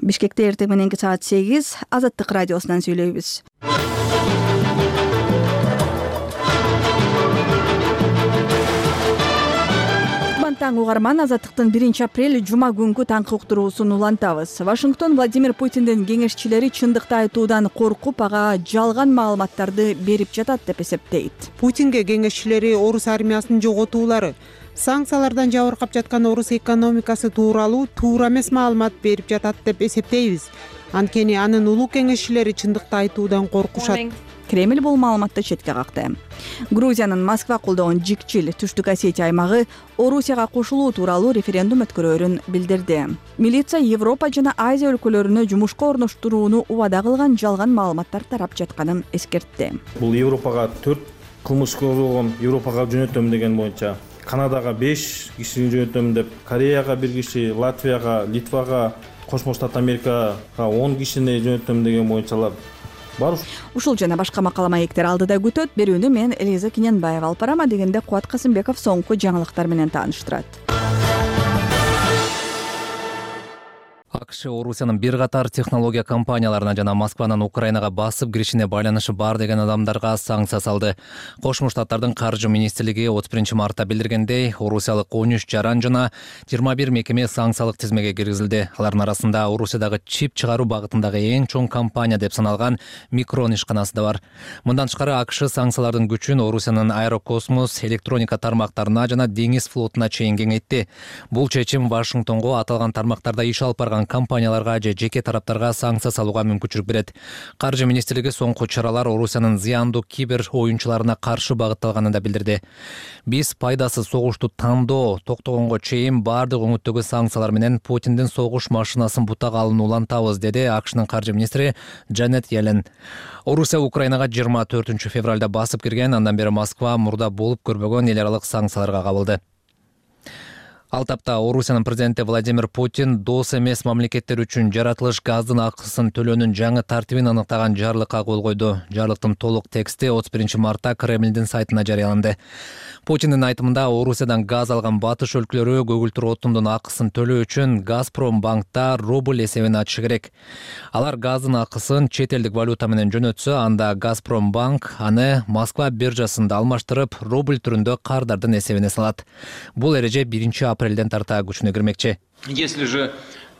Бишкекте эртең мененки саат 8 Азаттык радиосунан сүйлөйбүз. Таң угарман, Азаттыктын 1-апрель жума күнгү таңкы уктуруусун улантабыз. Вашингтон Владимир Путиндин кеңешчилери чындыкты айтуудан коркуп, ага жалган маалыматтарды берип жатат деп эсептейт. Путинге кеңешчилери орус армиясынын жоготуулары, санкциялардан жабыркап жаткан орус экономикасы тууралуу туура эмес маалымат берип жатат деп эсептейбиз. Анткени анын улуу кеңешчилери чындыкты айтуудан коркушат. Кремль бул маалыматты четке какты. Грузиянын Москва колдогон Жикчил Түштүк Осетия аймагы Орусияга кошулуу тууралуу референдум өткөрөөрүн билдирди. Милиция Европа жана Азия өлкөлөрүнө жумушка орноштурууну убада кылган жалган маалыматтар тарап жатканын эскертти. Бул Европага 4 кылмыш козголгон, Европага жөнөтөм деген боюнча, Канадага 5 кишини жөнөтөм деп, Кореяга 1 киши, Латвияга, Литвага, Кошмо Штат Америкага 10 кишини жөнөтөм деген боюнчалар бар. Ушул жана башка макала маектер алдыда күтөт. Берүүнү мен Элиза Киненбаева алып барам, дегенде Кубат Касымбеков соңку жаңылыктар менен тааныштырат. АКШ Орусиянын бир катар технология компанияларына жана Москванын Украинага басып киришине байланышы бар деген адамдарга санкция салды. Кошмо Штаттардын каржы министрлиги 31 мартта билдиргендей, орусиялык 13 жаран жана 21 мекеме санкциялык тизмеге киргизилди. Алардын арасында Орусиядагы чип чыгаруу багытындагы эң чоң компания деп саналган Микрон ишканасы да бар. Мындан тышкары АКШ санкциялардын күчүн Орусиянын аэрокосмос, электроника тармактарына жана деңиз флотуна чейин кеңейтти. Бул чечим Вашингтонго аталган тармактарда иш алып барган компанияларга же жеке тараптарга санкция салууга мүмкүнчүлүк берет. Каржы министрлиги соңку чаралар Орусиянын зыяндуу кибер оюнчуларына каршы багытталганын да билдирди. Биз пайдасыз согушту тандоо токтогонго чейин баардык өңүттөгү санкциялар менен Путиндин согуш машинасын бутак алууну улантабыз, деди АКШнын каржы министри Джанет Йеллен. Орусия Украинага 24 февралда басып кирген, андан бери Москва мурда болуп көрбөгөн эл аралык санкцияларга кабылды. Ал тапта Орусиянын президенти Владимир Путин дос эмес мамлекеттер үчүн жаратылыш газдын акысын төлөөнүн жаңы тартибин аныктаган жарлыкка кол койду. Жарлыктын толук тексти 31 мартта Кремлдин сайтына жарыяланды. Путиндин айтымында Орусиядан газ алган батыш өлкөлөрү көгүлтүр отундун акысын төлөө үчүн Газпром банкта рубль эсебин ачышы керек. Алар газдын акысын чет элдик валюта менен жөнөтсө, анда Газпром банк аны Москва биржасында алмаштырып, рубль түрүндө кардардын эсебине салат. Бул эреже 1-апрелден тарта күчүнө кирмекчи. Если же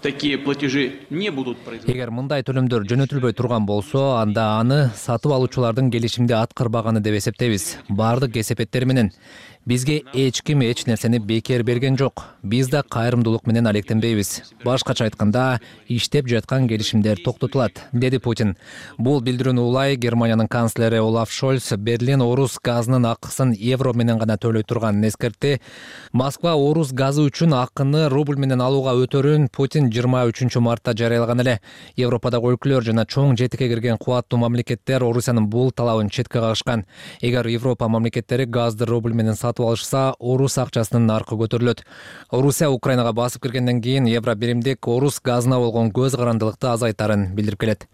такие платежи не будут производиться. Эгер мындай төлөмдөр жөнөтүлбөй турган болсо, анда аны сатып алуучулардын келишимди аткарбаганы деп эсептейбиз. Бардык кесепеттер менен бизге эч ким эч нерсени бекер берген жок. Биз да кайрымдуулук менен алектенбейбиз. Башкача айтканда, иштеп жаткан келишимдер токтотулат, деди Путин. Бул билдирүүнү улай Германиянын канцлери Олаф Шольц Берлин орус газынын акысын евро менен гана төлөй турганын эскертти. Москва орус газы үчүн акыны рубль менен алууга өтөрүн Путин 23 мартта жарыялаган эле. Европадагы өлкөлөр жана чоң жетикке кирген кубаттуу мамлекеттер Орусиянын бул талабын четке кагышкан. Эгер Европа мамлекеттери газды рубль менен сатып алышса, орус акчасынын наркы көтөрүлөт. Орусия Украинага басып киргенден кийин евро биримдик орус газына болгон көз карандылыкты азайтарын билдирип келет.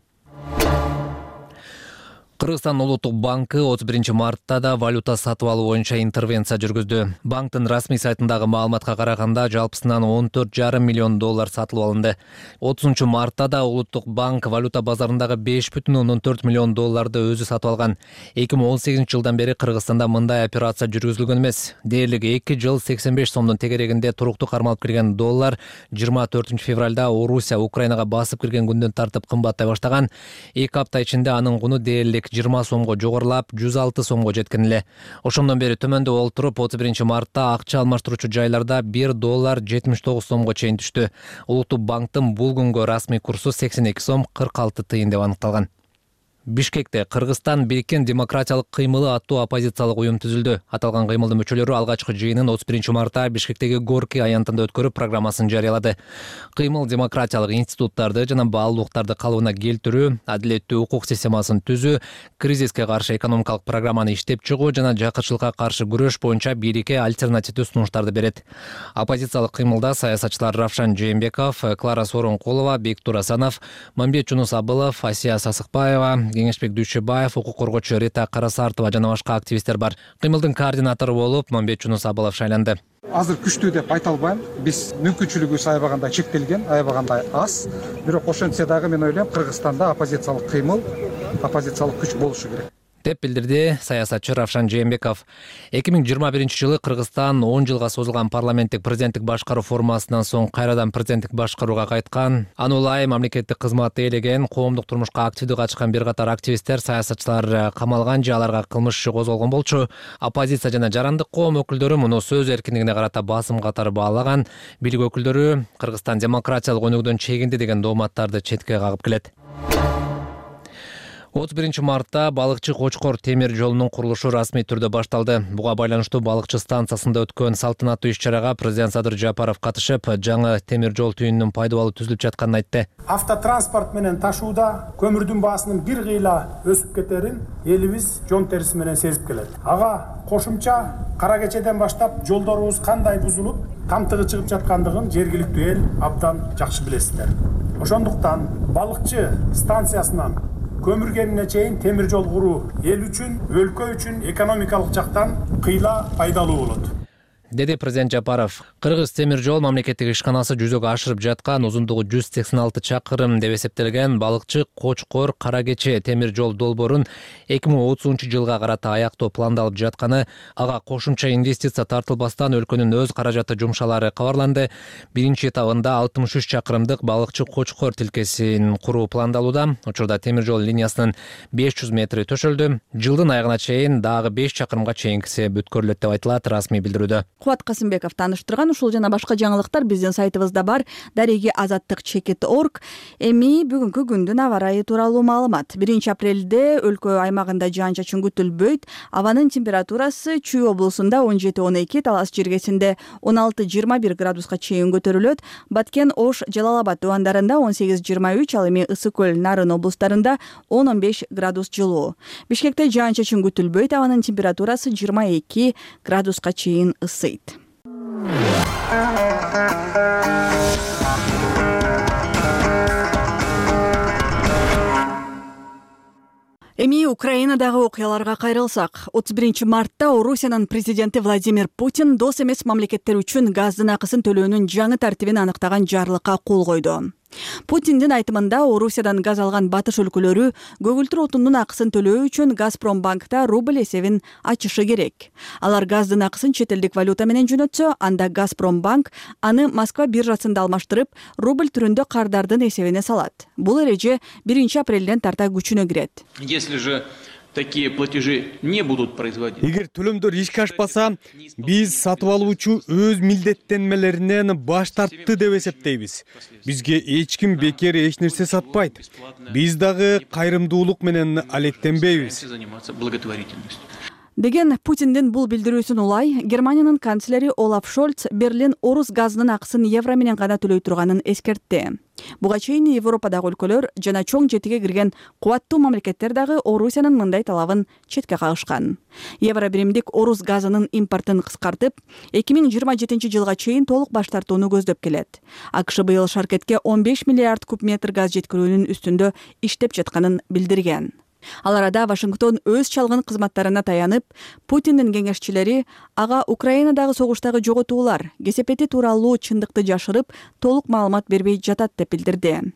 Кыргызстан Улуттук банкы 31 мартта да валюта сатып алуу боюнча интервенция жүргүздү. Банктын расмий сайтындагы маалыматка караганда жалпысынан $14,5 миллион сатылып алынды. 30 мартта да Улуттук банк валюта базарындагы $5,4 миллион өзү сатып алган. 2018 жылдан бери Кыргызстанда мындай операция жүргүзүлгөн эмес. Дээрлик 2 жыл 85 сомдун тегерегинде туруктуу кармалып кирген доллар 24 февралда Орусия Украинага басып кирген күндөн тартып кымбаттай баштаган. 2 апта ичинде анын куну дээрлик 20 сомго жогорулап, 106 сомго жеткен эле. Ошондон бери төмөндө олтуруп, 31 мартта акча алмаштыруучу жайларда $1 79 сомго чейин түштү. Улуттук банктын бул күнгө расмий курсу 82 сом 46 тыйын деп аныкталган. Бишкекте Кыргызстан Бириккен демократиялык кыймылы аттуу оппозициялык уюм түзүлдү. Аталган кыймылдын мүчөлөрү алгачкы жыйынын 31 мартта Бишкектеги Горки аянтында өткөрүп программасын жарыялады. Кыймыл демократиялык институттарды жана баалуулуктарды калыбына келтирүү, адилеттүү укук системасын түзүү, кризиске каршы экономикалык программаны иштеп чыгуу жана жакырчылыкка каршы күрөш боюнча бирикке альтернативдүү сунуштарды берет. Оппозициялык кыймылда саясатчылар Равшан Жээнбеков, Клара Сооронкулова, Бектур Асанов, Мамбет Жунус Абылов, Асия Сасыкбаева, Кеңешбек Дүйшөбаев, укук коргоочу Рита Карасартова жана башка активисттер бар. Кыймылдын координатору болуп Момбет Жунус Абалов шайланды. Азыр күчтүү деп айта албайм. Биз мүмкүнчүлүгүбүз аябагандай чектелген, аябагандай аз. Бирок ошентсе дагы мен ойлойм, Кыргызстанда оппозициялык кыймыл, оппозициялык күч болушу керек деп билдирди саясатчы Равшан Жээнбеков. 2021-жылы Кыргызстан 10 жылга созулган парламенттик президенттик башкаруу формасынан соң кайрадан президенттик башкарууга кайткан. Аны улай мамлекеттик кызматты ээлеген, коомдук турмушка активдүү катышкан бир катар активисттер, саясатчылар камалган же аларга кылмыш иши козголгон болчу. Оппозиция жана жарандык коом өкүлдөрү муну сөз эркиндигине карата басым катары баалаган. Бийлик өкүлдөрү Кыргызстан демократиялык өнүгүүдөн чегинди деген дооматтарды четке кагып келет. 31 мартта балыкчы Кочкор темир жолунун курулушу расмий түрдө башталды. Буга байланыштуу балыкчы станциясында өткөн салтанаттуу иш-чарага президент Садыр Жапаров катышып, жаңы темир жол түйүнүнүн пайдалуу түзүлүп жатканын айтты. Автотранспорт менен ташууда көмүрдүн баасынын бир кыйла өсүп кетерин элибиз жон териси менен сезип келет. Ага кошумча кара кечеден баштап жолдорубуз кандай бузулуп, камтыгы чыгып жаткандыгын жергиликтүү эл абдан жакшы билесиздер. Ошондуктан балыкчы станциясынан көмүргенине чейин темир жол куруу эл үчүн, өлкө үчүн экономикалык жактан кыйла пайдалуу болот, деди президент Жапаров. Кыргыз темир жол мамлекеттик ишканасы жүзөгө ашырып жаткан узундугу 186 чакырым деп эсептелген балыкчы Кочкор Кара Кече темир жол долбоорун 2030-жылга карата аяктоо пландалып жатканы, ага кошумча инвестиция тартылбастан өлкөнүн өз каражаты жумшалары кабарланды. Биринчи этабында 63 чакырымдык балыкчы Кочкор тилкесин куруу пландалууда. Учурда темир жол линиясынын 500 метри төшөлдү. Жылдын аягына чейин дагы 5 чакырымга чейинкиси бүткөрүлөт деп айтылат расмий билдирүүдө. Кубат Касымбеков таныштырган. Ушул жана башка жаңылыктар биздин сайтыбызда бар. Дареги азаттык чекит.org. Эми бүгүнкү күндүн аба ырайы тууралуу маалымат. 1 апрелде өлкө аймагында жаан-чачын күтүлбөйт. Абанын температурасы Чүй облусунда 17-12, Талас жергесинде 16-21 градуска чейин көтөрүлөт. Баткен, Ош, Жалал-Абад дубандарында 18-23, ал эми Ысык көл, Нарын облустарында 10-15 градус жылуу. Бишкекте жаан-чачын күтүлбөйт. Абанын температурасы 22 градуска чейин ысыйт. Эми Украинадагы окуяларга кайрылсак, 31 мартта Орусиянын президенти Владимир Путин дос эмес мамлекеттер үчүн газдын акысын төлөөнүн жаңы тартибин аныктаган жарлыкка кол койду. Путиндин айтымында Орусиядан газ алган батыш өлкөлөрү көгүлтүр отундун акысын төлөө үчүн Газпромбанкта рубль эсебин ачышы керек. Алар газдын акысын чет элдик валюта менен жөнөтсө, анда Газпромбанк аны Москва биржасында алмаштырып, рубль түрүндө кардардын эсебине салат. Бул эреже 1 апрелден тарта күчүнө кирет. Если же такие платежи не будут производиться. Эгер төлөмдөр ишке ашпаса, биз сатып алуучу өз милдеттенмелеринен баш тартты деп эсептейбиз. Бизге эч ким бекер эч нерсе сатпайт. Биз дагы кайрымдуулук менен алектенбейбиз. Деген Путиндин бул билдирүүсүн улай, Германиянын канцлери Олаф Шольц Берлин орус газынын акысын евро менен гана төлөй турганын эскертти. Буга чейин Европадагы өлкөлөр жана чоң жетиге кирген кубаттуу мамлекеттер дагы Орусиянын мындай талабын четке кагышкан. Евро биримдик орус газынын импортун кыскартып, 2027 жылга чейин толук баш тартууну көздөп келет. АКШ быйыл шаркетке 15 миллиард куб метр газ жеткирүүнүн үстүндө иштеп жатканын билдирген. Ал арада Вашингтон өз чалгын кызматтарына таянып, Путиндин кеңешчилери ага Украинадагы согуштагы жоготуулар, кесепети тууралуу чындыкты жашырып, толук маалымат бербей жатат деп билдирди.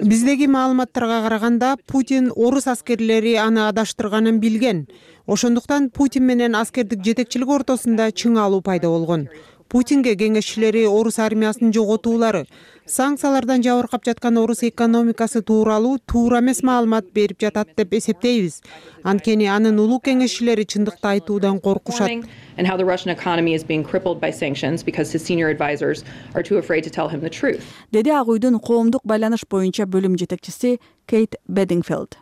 Биздеги маалыматтарга караганда Путин орус аскерлери аны адаштырганын билген. Ошондуктан Путин менен аскердик жетекчилик ортосунда чың алуу пайда болгон. Путинге кеңешчилери орус армиясынын жоготуулары, санкциялардан жабыркап жаткан орус экономикасы тууралуу туура эмес маалымат берип жатат деп эсептейбиз. Анткени анын улуу кеңешчилери чындыкты айтуудан коркушат. Деди Ак үйдүн коомдук байланыш боюнча бөлүм жетекчиси Кейт Бедингфилд.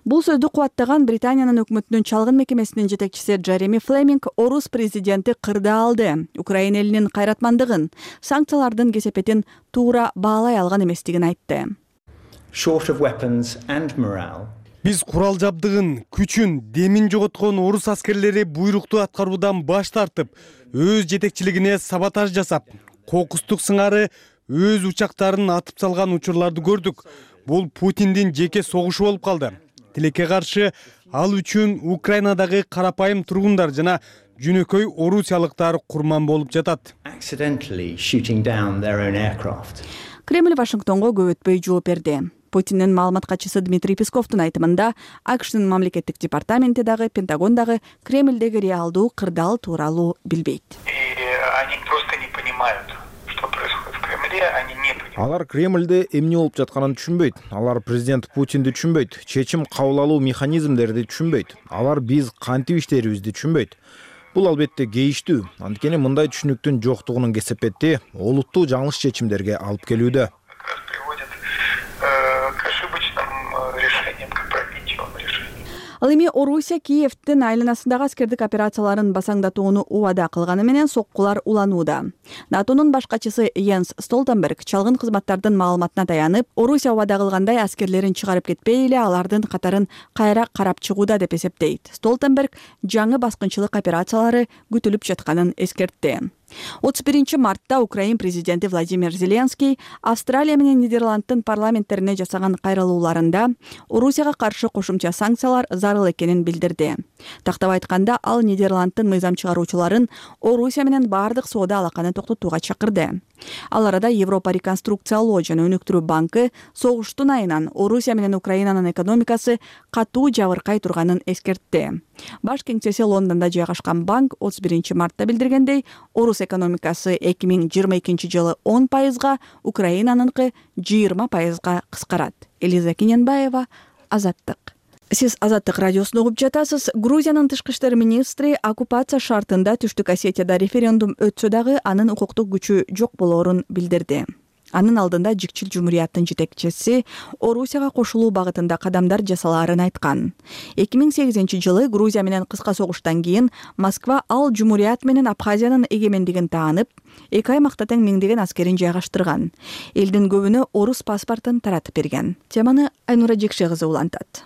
Бул сөздү кубаттаган Британиянын өкмөтүнүн чалгын мекемесинин жетекчиси Джереми Флеминг орус президенти кырда алды. Украина элинин кайратмандыгын, санкциялардын кесепетин туура баалай алган эместигин айтты. Биз курал жабдыгын, күчүн, демин жоготкон орус аскерлери буйрукту аткаруудан баш тартып, өз жетекчилигине саботаж жасап, кокустук сыңары өз учактарын атып салган учурларды көрдүк. Бул Путиндин жеке согушу болуп калды. Тилекке каршы ал үчүн Украинадагы карапайым тургундар жана жөнөкөй орусиялыктар курман болуп жатат. Кремль Вашингтонго көп өтпөй жооп берди. Путиндин маалымат катчысы Дмитрий Песковдун айтымында, АКШнын мамлекеттик департаменти дагы, Пентагон дагы Кремльдеги реалдуу кырдаал тууралуу билбейт. Алар Кремльде эмне болуп жатканын түшүнбөйт. Алар президент Путинди түшүнбөйт. Чечим кабыл алуу механизмдерди түшүнбөйт. Алар биз кантип иштерибизди түшүнбөйт. Бул албетте кейиштүү. Анткени мындай түшүнүктүн жоктугунун кесепети олуттуу жаңылыш чечимдерге алып келүүдө. Ал эми Орусия Киевдин айланасындагы аскердик операцияларын басаңдатууну убада кылганы менен соккулар уланууда. НАТОнун баш катчысы Йенс Столтенберг чалгын кызматтардын маалыматына таянып, Орусия убада кылгандай аскерлерин чыгарып кетпей эле алардын катарын кайра карап чыгууда деп эсептейт. Столтенберг жаңы баскынчылык операциялары күтүлүп жатканын эскертти. 31 мартта Украин президенти Владимир Зеленский Австралия менен Нидерланддын парламенттерине жасаган кайрылууларында Орусияга каршы кошумча санкциялар зарыл экенин билдирди. Тактап айтканда, ал Нидерланддын мыйзам чыгаруучуларын Орусия менен бардык соода алаканы токтотууга чакырды. Ал арада Европа реконструкциялоо жана өнүктүрүү банкы согуштун айынан Орусия менен Украинанын экономикасы катуу жабыркай турганын эскертти. Баш кеңсеси Лондондо жайгашкан банк 31 мартта билдиргендей, Орус экономикасы 2022 жылы 10%, Украинаныңкы 20%га кыскарат. Элиза Кененбаева, Азаттык. Сиз Азаттык радиосун угуп жатасыз. Грузиянын тышкы иштер министри оккупация шартында Түштүк Осетияда референдум өтсө дагы анын укуктук күчү жок болоорун билдирди. Анын алдында Жикчил жумурияттын жетекчиси Орусияга кошулуу багытында кадамдар жасалаарын айткан. 2008 жылы Грузия менен кыска согуштан кийин Москва ал жумурият менен Абхазиянын эгемендигин таанып, эки аймакта тең миңдеген аскерин жайгаштырган. Элдин көбүнө орус паспортун таратып берген. Теманы Айнура Жекше кызы улантат.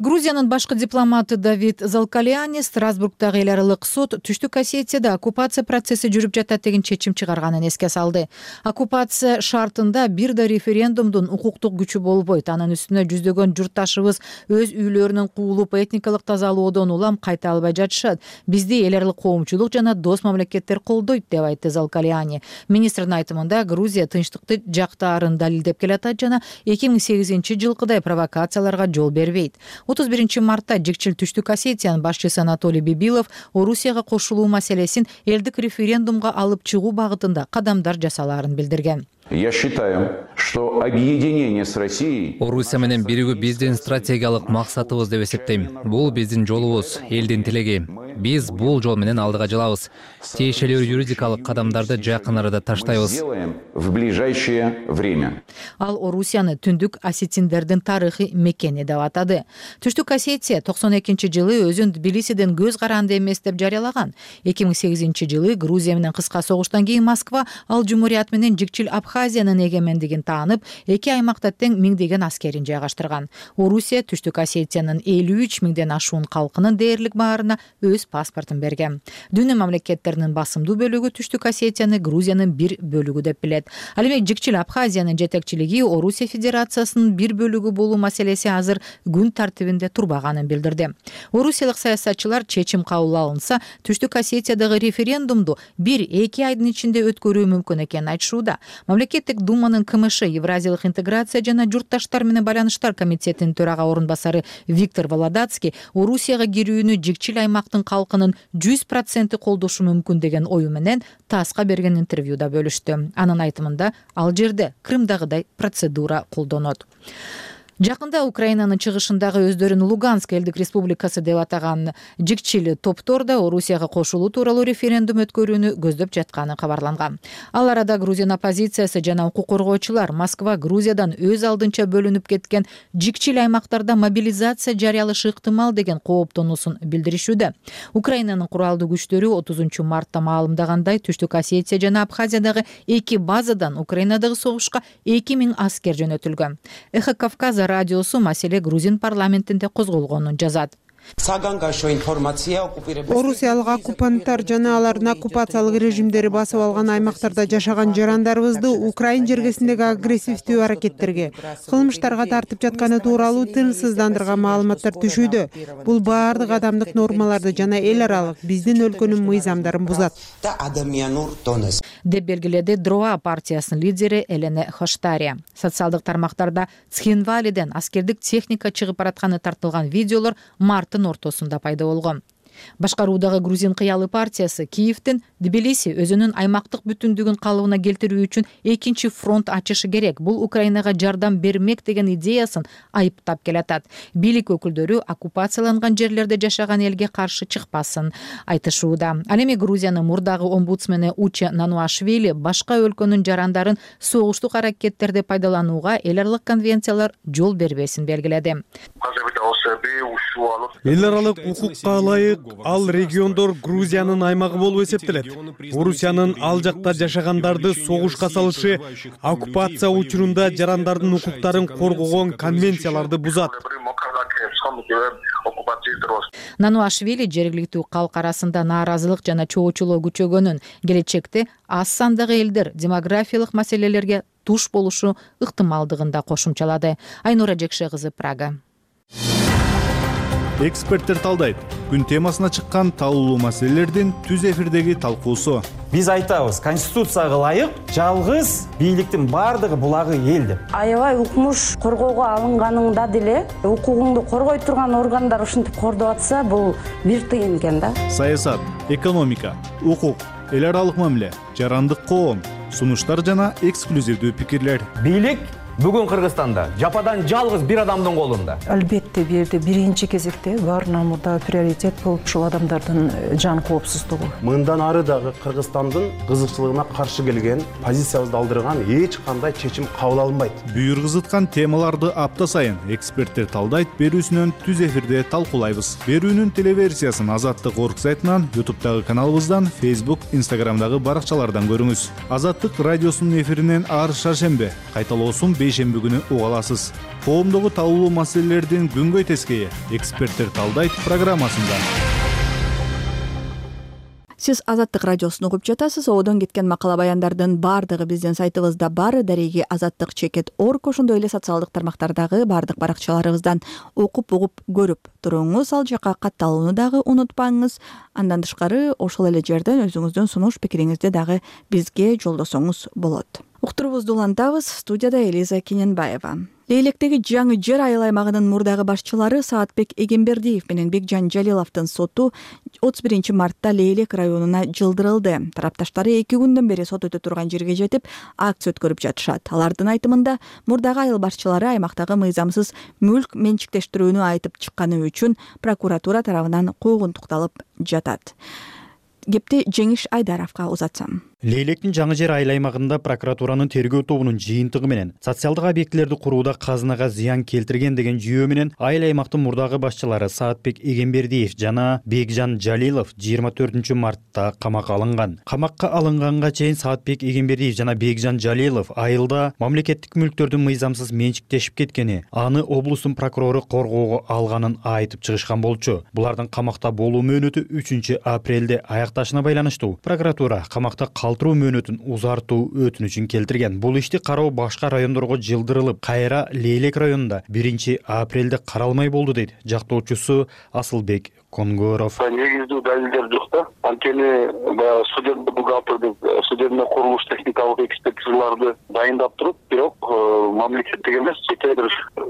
Грузиянын башкы дипломаты Давид Залкалиани Страсбургдагы эл аралык сот Түштүк Осетияда оккупация процесси жүрүп жатат деген чечим чыгарганын эске салды. Оккупация шартында бир да референдумдун укуктук күчү болбойт. Анын үстүнө жүздөгөн журтташыбыз өз үйлөрүнөн куулуп этникалык тазалоодон улам кайта албай жатышат. Бизди эл аралык коомчулук жана дос мамлекеттер колдойт деп айтты Залкалиани. Министрдин айтымында Грузия тынчтыкты жактаарын далилдеп келатат жана 2008 жылкыдай провокацияларга жол бербейт. 31 мартта Жикчил Түштүк Осетиянын башчысы Анатолий Бибилов Орусияга кошулуу маселесин элдик референдумга алып чыгуу багытында кадамдар жасалаарын билдирген. Я считаю, что объединение с Россией... Орусия менен биригүү биздин стратегиялык максатыбыз деп эсептейм. Бул биздин жолубуз, элдин тилеги. Биз бул жол менен алдыга жылабыз. Тиешелүү юридикалык кадамдарды жакын арада таштайбыз. В ближайшее время. Ал Орусияны түндүк осетиндердин тарыхый мекени деп атады. Түштүк Осетия 92 жылы өзүн Тбилисиден көз каранды эмес деп жарыялаган. 2008 жылы Грузия менен кыска согуштан кийин Москва ал жумурият менен Жикчил Абхазиянын эгемендигин таанып, эки аймакта тең миңдеген аскерин жайгаштырган. Орусия Түштүк Осетиянын 53 миңден ашуун калкынын дээрлик баарына өз паспортун берген. Дүйнө мамлекеттеринин басымдуу бөлүгү Түштүк Осетияны Грузиянын бир бөлүгү деп билет. Ал эми Жикчил Абхазиянын жетекчилиги Орусия Федерациясынын бир бөлүгү болуу маселеси азыр күн тартибинде турбаганын билдирди. Орусиялык саясатчылар чечим кабыл алынса, Түштүк Осетиядагы референдумду 1-2 айдын ичинде өткөрүү мүмкүн экенин айтышууда. Мамлекеттик думанын КМШ Евразиялык интеграция жана журтташтар менен байланыштар комитетинин төрага орун басары Виктор Володацкий Орусияга кирүүнү Жикчил аймактын калкынын 100% колдошу мүмкүн деген ою менен ТАССка берген интервьюда бөлүштү. Анын айтымында ал жерде Крымдагыдай процедура колдонот. Жакында Украинанын чыгышындагы өздөрүн Луганск элдик республикасы деп атаган Жикчил топтор да Орусияга кошулуу тууралуу референдум өткөрүүнү көздөп жатканы кабарланган. Ал арада Грузия оппозициясы жана укук коргоочулар Москва Грузиядан өз алдынча бөлүнүп кеткен Жикчил аймактарда мобилизация жарыялашы ыктымал деген кооптонуусун билдиришүүдө. Украинанын куралдуу күчтөрү 30 мартта маалымдагандай Түштүк Осетия жана Абхазиядагы эки базадан Украинадагы согушка 2000 аскер жөнөтүлгөн. Эхо Кавказа радиосу маселе Грузин парламентинде козголгонун жазат. Орусиялык оккупанттар жана алардын оккупациялык режимдери басып алган аймактарда жашаган жарандарыбызды Украина жергесиндеги агрессивдүү аракеттерге, кылмыштарга тартып жатканы тууралуу тынчсыздандырган маалыматтар түшүүдө. Бул баардык адамдык нормаларды жана эл аралык биздин өлкөнүн мыйзамдарын бузат, деп белгиледи Дроа партиясынын лидери Елена Хоштария. Социалдык тармактарда Цхинвалиден аскердик техника чыгып баратканы тартылган видеолор марттын ортосунда пайда болгон. Башкаруудагы Грузин кыялы партиясы Киевдин Тбилиси өзүнүн аймактык бүтүндүгүн калыбына келтирүү үчүн экинчи фронт ачышы керек, бул Украинага жардам бермек деген идеясын айыптап келатат. Бийлик өкүлдөрү оккупацияланган жерлерде жашаган элге каршы чыкпасын айтышууда. Ал эми Грузиянын мурдагы омбудсмени Уче Нануашвили башка өлкөнүн жарандарын согуштук аракеттерде пайдаланууга эл аралык конвенциялар жол бербесин белгиледи. Эл аралык укукка ылайык ал региондор Грузиянын аймагы болуп эсептелет. Орусиянын ал жакта жашагандарды согушка салышы оккупация учурунда жарандардын укуктарын коргогон конвенцияларды бузат. Нануашвили жергиликтүү калк арасында нааразылык жана чоочулоо күчөгөнүн, келечекте аз сандагы элдер демографиялык маселелерге туш болушу ыктымалдыгын да кошумчалады. Айнура Жекше кызы, Прага. Эксперттер талдайт. Күн темасына чыккан талкуулуу маселелердин түз эфирдеги талкуусу. Биз айтабыз, конституцияга ылайык жалгыз бийликтин бардыгы булагы эл деп. Аябай укмуш коргоого алынганыңда деле укугуңду коргой турган органдар ушинтип кордоп атса, бул бир тыйын экен да. Саясат, экономика, укук, эл аралык мамиле, жарандык коом, сунуштар жана эксклюзивдүү пикирлер. Бийлик бүгүн Кыргызстанда жападан жалгыз бир адамдын колунда. Албетте бул жерде биринчи кезекте баарынан мурда приоритет бул ушул адамдардын жан коопсуздугу. Мындан ары дагы Кыргызстандын кызыкчылыгына каршы келген, позициябызды алдырган эч кандай чечим кабыл алынбайт. Бүйүргүзүткан темаларды апта сайын эксперттер талдайт берүүсүнөн түз эфирде талкуулайбыз. Берүүнүн телеверсиясын Азаттык орг сайтынан, YouTube'дагы каналыбыздан, Facebook, Instagram'дагы баракчалардан көрүңүз. Азаттык радиосунун эфиринен ар шаршембе, кайталоосун бейшемби күнү уга аласыз. Коомдогу талкуулуу маселелердин күнгөй тескейи эксперттер талдайт программасында. Сиз Азаттык радиосун угуп жатасыз. Одон кеткен макала баяндардын баардыгы биздин сайтыбызда бар. Дареги azattik.org, ошондой эле социалдык тармактардагы баардык баракчаларыбыздан окуп угуп көрүп туруңуз. Ал жака катталууну дагы унутпаңыз. Андан тышкары ошол эле жерден өзүңүздүн сунуш пикириңизди дагы бизге жолдосоңуз болот. Уктурубузду улантабыз. Студияда Элиза Кененбаева. Лейлектеги жаңы жер айыл аймагынын мурдагы башчылары Саатбек Эгембердиев менен Бекжан Жалиловдун соту 31 мартта Лейлек районуна жылдырылды. Тарапташтары 2 күндөн бери сот өтө турган жерге жетип, акция өткөрүп жатышат. Алардын айтымында мурдагы айыл башчылары аймактагы мыйзамсыз мүлк менчиктештирүүнү айтып чыкканы үчүн прокуратура тарабынан куугунтукталып жатат. Кепти Жеңиш Айдаровго узатсам. Лейлектин жаңы жер айыл аймагында прокуратуранын тергөө тобунун жыйынтыгы менен социалдык объектилерди курууда казынага зыян келтирген деген жүйөө менен айыл аймактын мурдагы башчылары Саатбек Эгембердиев жана Бекжан Жалилов 24 мартта камакка алынган. Камакка алынганга чейин Саатбек Эгембердиев жана Бекжан Жалилов айылда мамлекеттик мүлктөрдүн мыйзамсыз менчиктешип кеткени, аны облустун прокурору коргоого алганын айтып чыгышкан болчу. Булардын камакта болуу мөөнөтү 3 апрелде аякташына байланыштуу. Прокуратура камакта калтыруу мөөнөтүн узартуу өтүнүчүн келтирген. Бул ишти кароо башка райондорго жылдырылып, кайра Лейлек районунда 1 апрелде каралмай болду дейт жактоочусу Асылбек Конгоров. Негиздүү далилдер жок да. Анткени судебный бухгалтердик, судебный курулуш техникалык экспертизаларды дайындап туруп, бирок мамлекеттик эмес, чет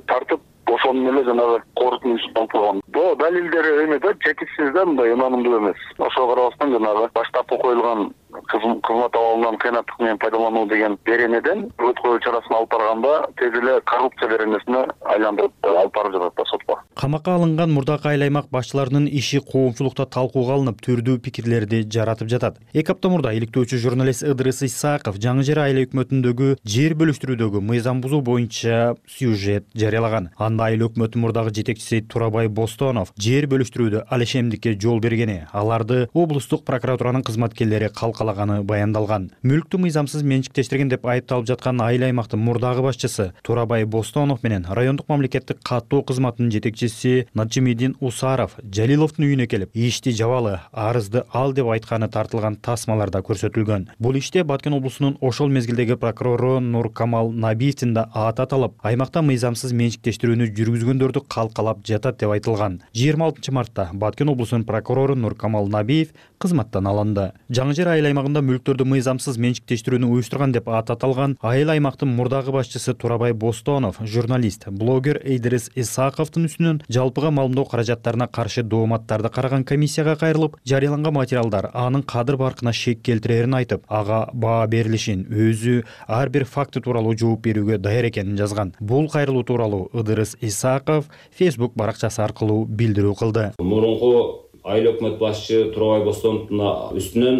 тартып ошону эле жанагы корутундусу алып Бул далилдер эме да, жетишсиз да, мындай ынанымдуу эмес. Ошого карабастан жанагы баштапкы коюлган кызмат абалынан кыйнаттык менен пайдалануу деген беренеден өткөрүү чарасын алып барганда тез эле коррупция беренесине айландырып алып барып жатат да сотко. Камакка алынган мурдакы айыл аймак башчыларынын иши коомчулукта талкууга алынып, түрдүү пикирлерди жаратып жатат. 2 апта мурда иликтөөчү журналист Ыдырыс Исаков жаңы жер айыл өкмөтүндөгү жер бөлүштүрүүдөгү мыйзам бузуу боюнча сюжет жарыялаган. Анда айыл өкмөтүнүн мурдагы жетекчиси Турабай Бостонов жер бөлүштүрүүдө алешемдикке жол бергени, аларды облустук прокуратуранын кызматкерлери калкалаган алганы баяндалган. Мүлктү мыйзамсыз менчиктештирген деп айыпталып жаткан айыл аймактын мурдагы башчысы Турабай Бостонов менен райондук мамлекеттик каттоо кызматынын жетекчиси Наджимидин Усаров Жалиловдун үйүнө келип, ишти жабалы, арызды ал деп айтканы тартылган тасмаларда көрсөтүлгөн. Бул иште Баткен облусунун ошол мезгилдеги прокурору Нуркамал Набиевдин да аты аталып, аймакта мыйзамсыз менчиктештирүүнү жүргүзгөндөрдү калкалап жатат деп айтылган. 26 мартта Баткен облусунун прокурору Нуркамал Набиев кызматтан алынды. Жаңы жер айыл аймагында мүлктөрдү мыйзамсыз менчиктештирүүнү уюштурган деп аты аталган айыл аймактын мурдагы башчысы Турабай Бостонов, журналист, блогер Эйдрис Исаковдун үстүнөн жалпыга маалымдоо каражаттарына каршы дооматтарды караган комиссияга кайрылып, жарыяланган материалдар анын кадыр баркына шек келтирерин айтып, ага баа берилишин, өзү ар бир факты тууралуу жооп берүүгө даяр экенин жазган. Бул кайрылуу тууралуу Эйдрис Исаков Facebook баракчасы аркылуу билдирүү кылды. Мурунку айыл өкмөт башчы Турабай Бостоновдун үстүнөн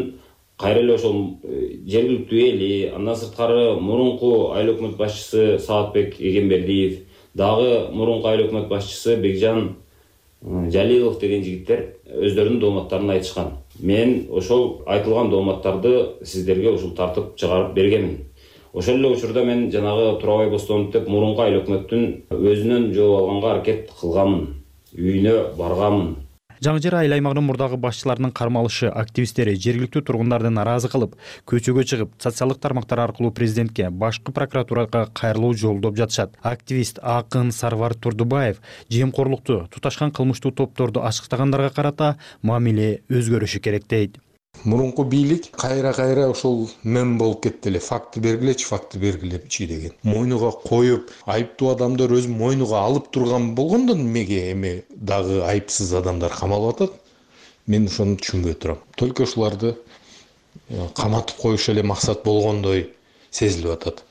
кайра эле ошол жергиликтүү эли, андан сырткары мурунку айыл өкмөт башчысы Саатбек Эгембердиев, дагы мурунку айыл өкмөт башчысы Бекжан Жалилов деген жигиттер өздөрүнүн дооматтарын айтышкан. Мен ошол айтылган дооматтарды сиздерге ушул тартып чыгарып бергенмин. Ошол эле учурда мен жанагы Турабай Бостонов деп мурунку айыл өкмөттүн өзүнөн жооп алганга аракет кылганмын. Үйүнө барганмын. Жаңы жер айыл аймагынын мурдагы башчыларынын кармалышы активисттери жергиликтүү тургундарды нааразы кылып, көчөгө чыгып, социалдык тармактар аркылуу президентке, башкы прокуратурага кайрылуу жолдоп жатышат. Активист Акын Сарвар Турдубаев жемкорлукту, туташкан кылмыштуу топторду ачыктагандарга карата мамиле өзгөрүшү керек дейт. Мурунку бийлик кайра ошол мем болуп кетти эле. Факты бергилечи деген. Мойнуга коюп, айыптуу адамдар өз мойнуга алып турган болгондо эмеге эме дагы айыпсыз адамдар камалып атат? Мен ошону түшүнбөй турам. Только ушуларды каматып коюш эле максат болгондой сезилип атат.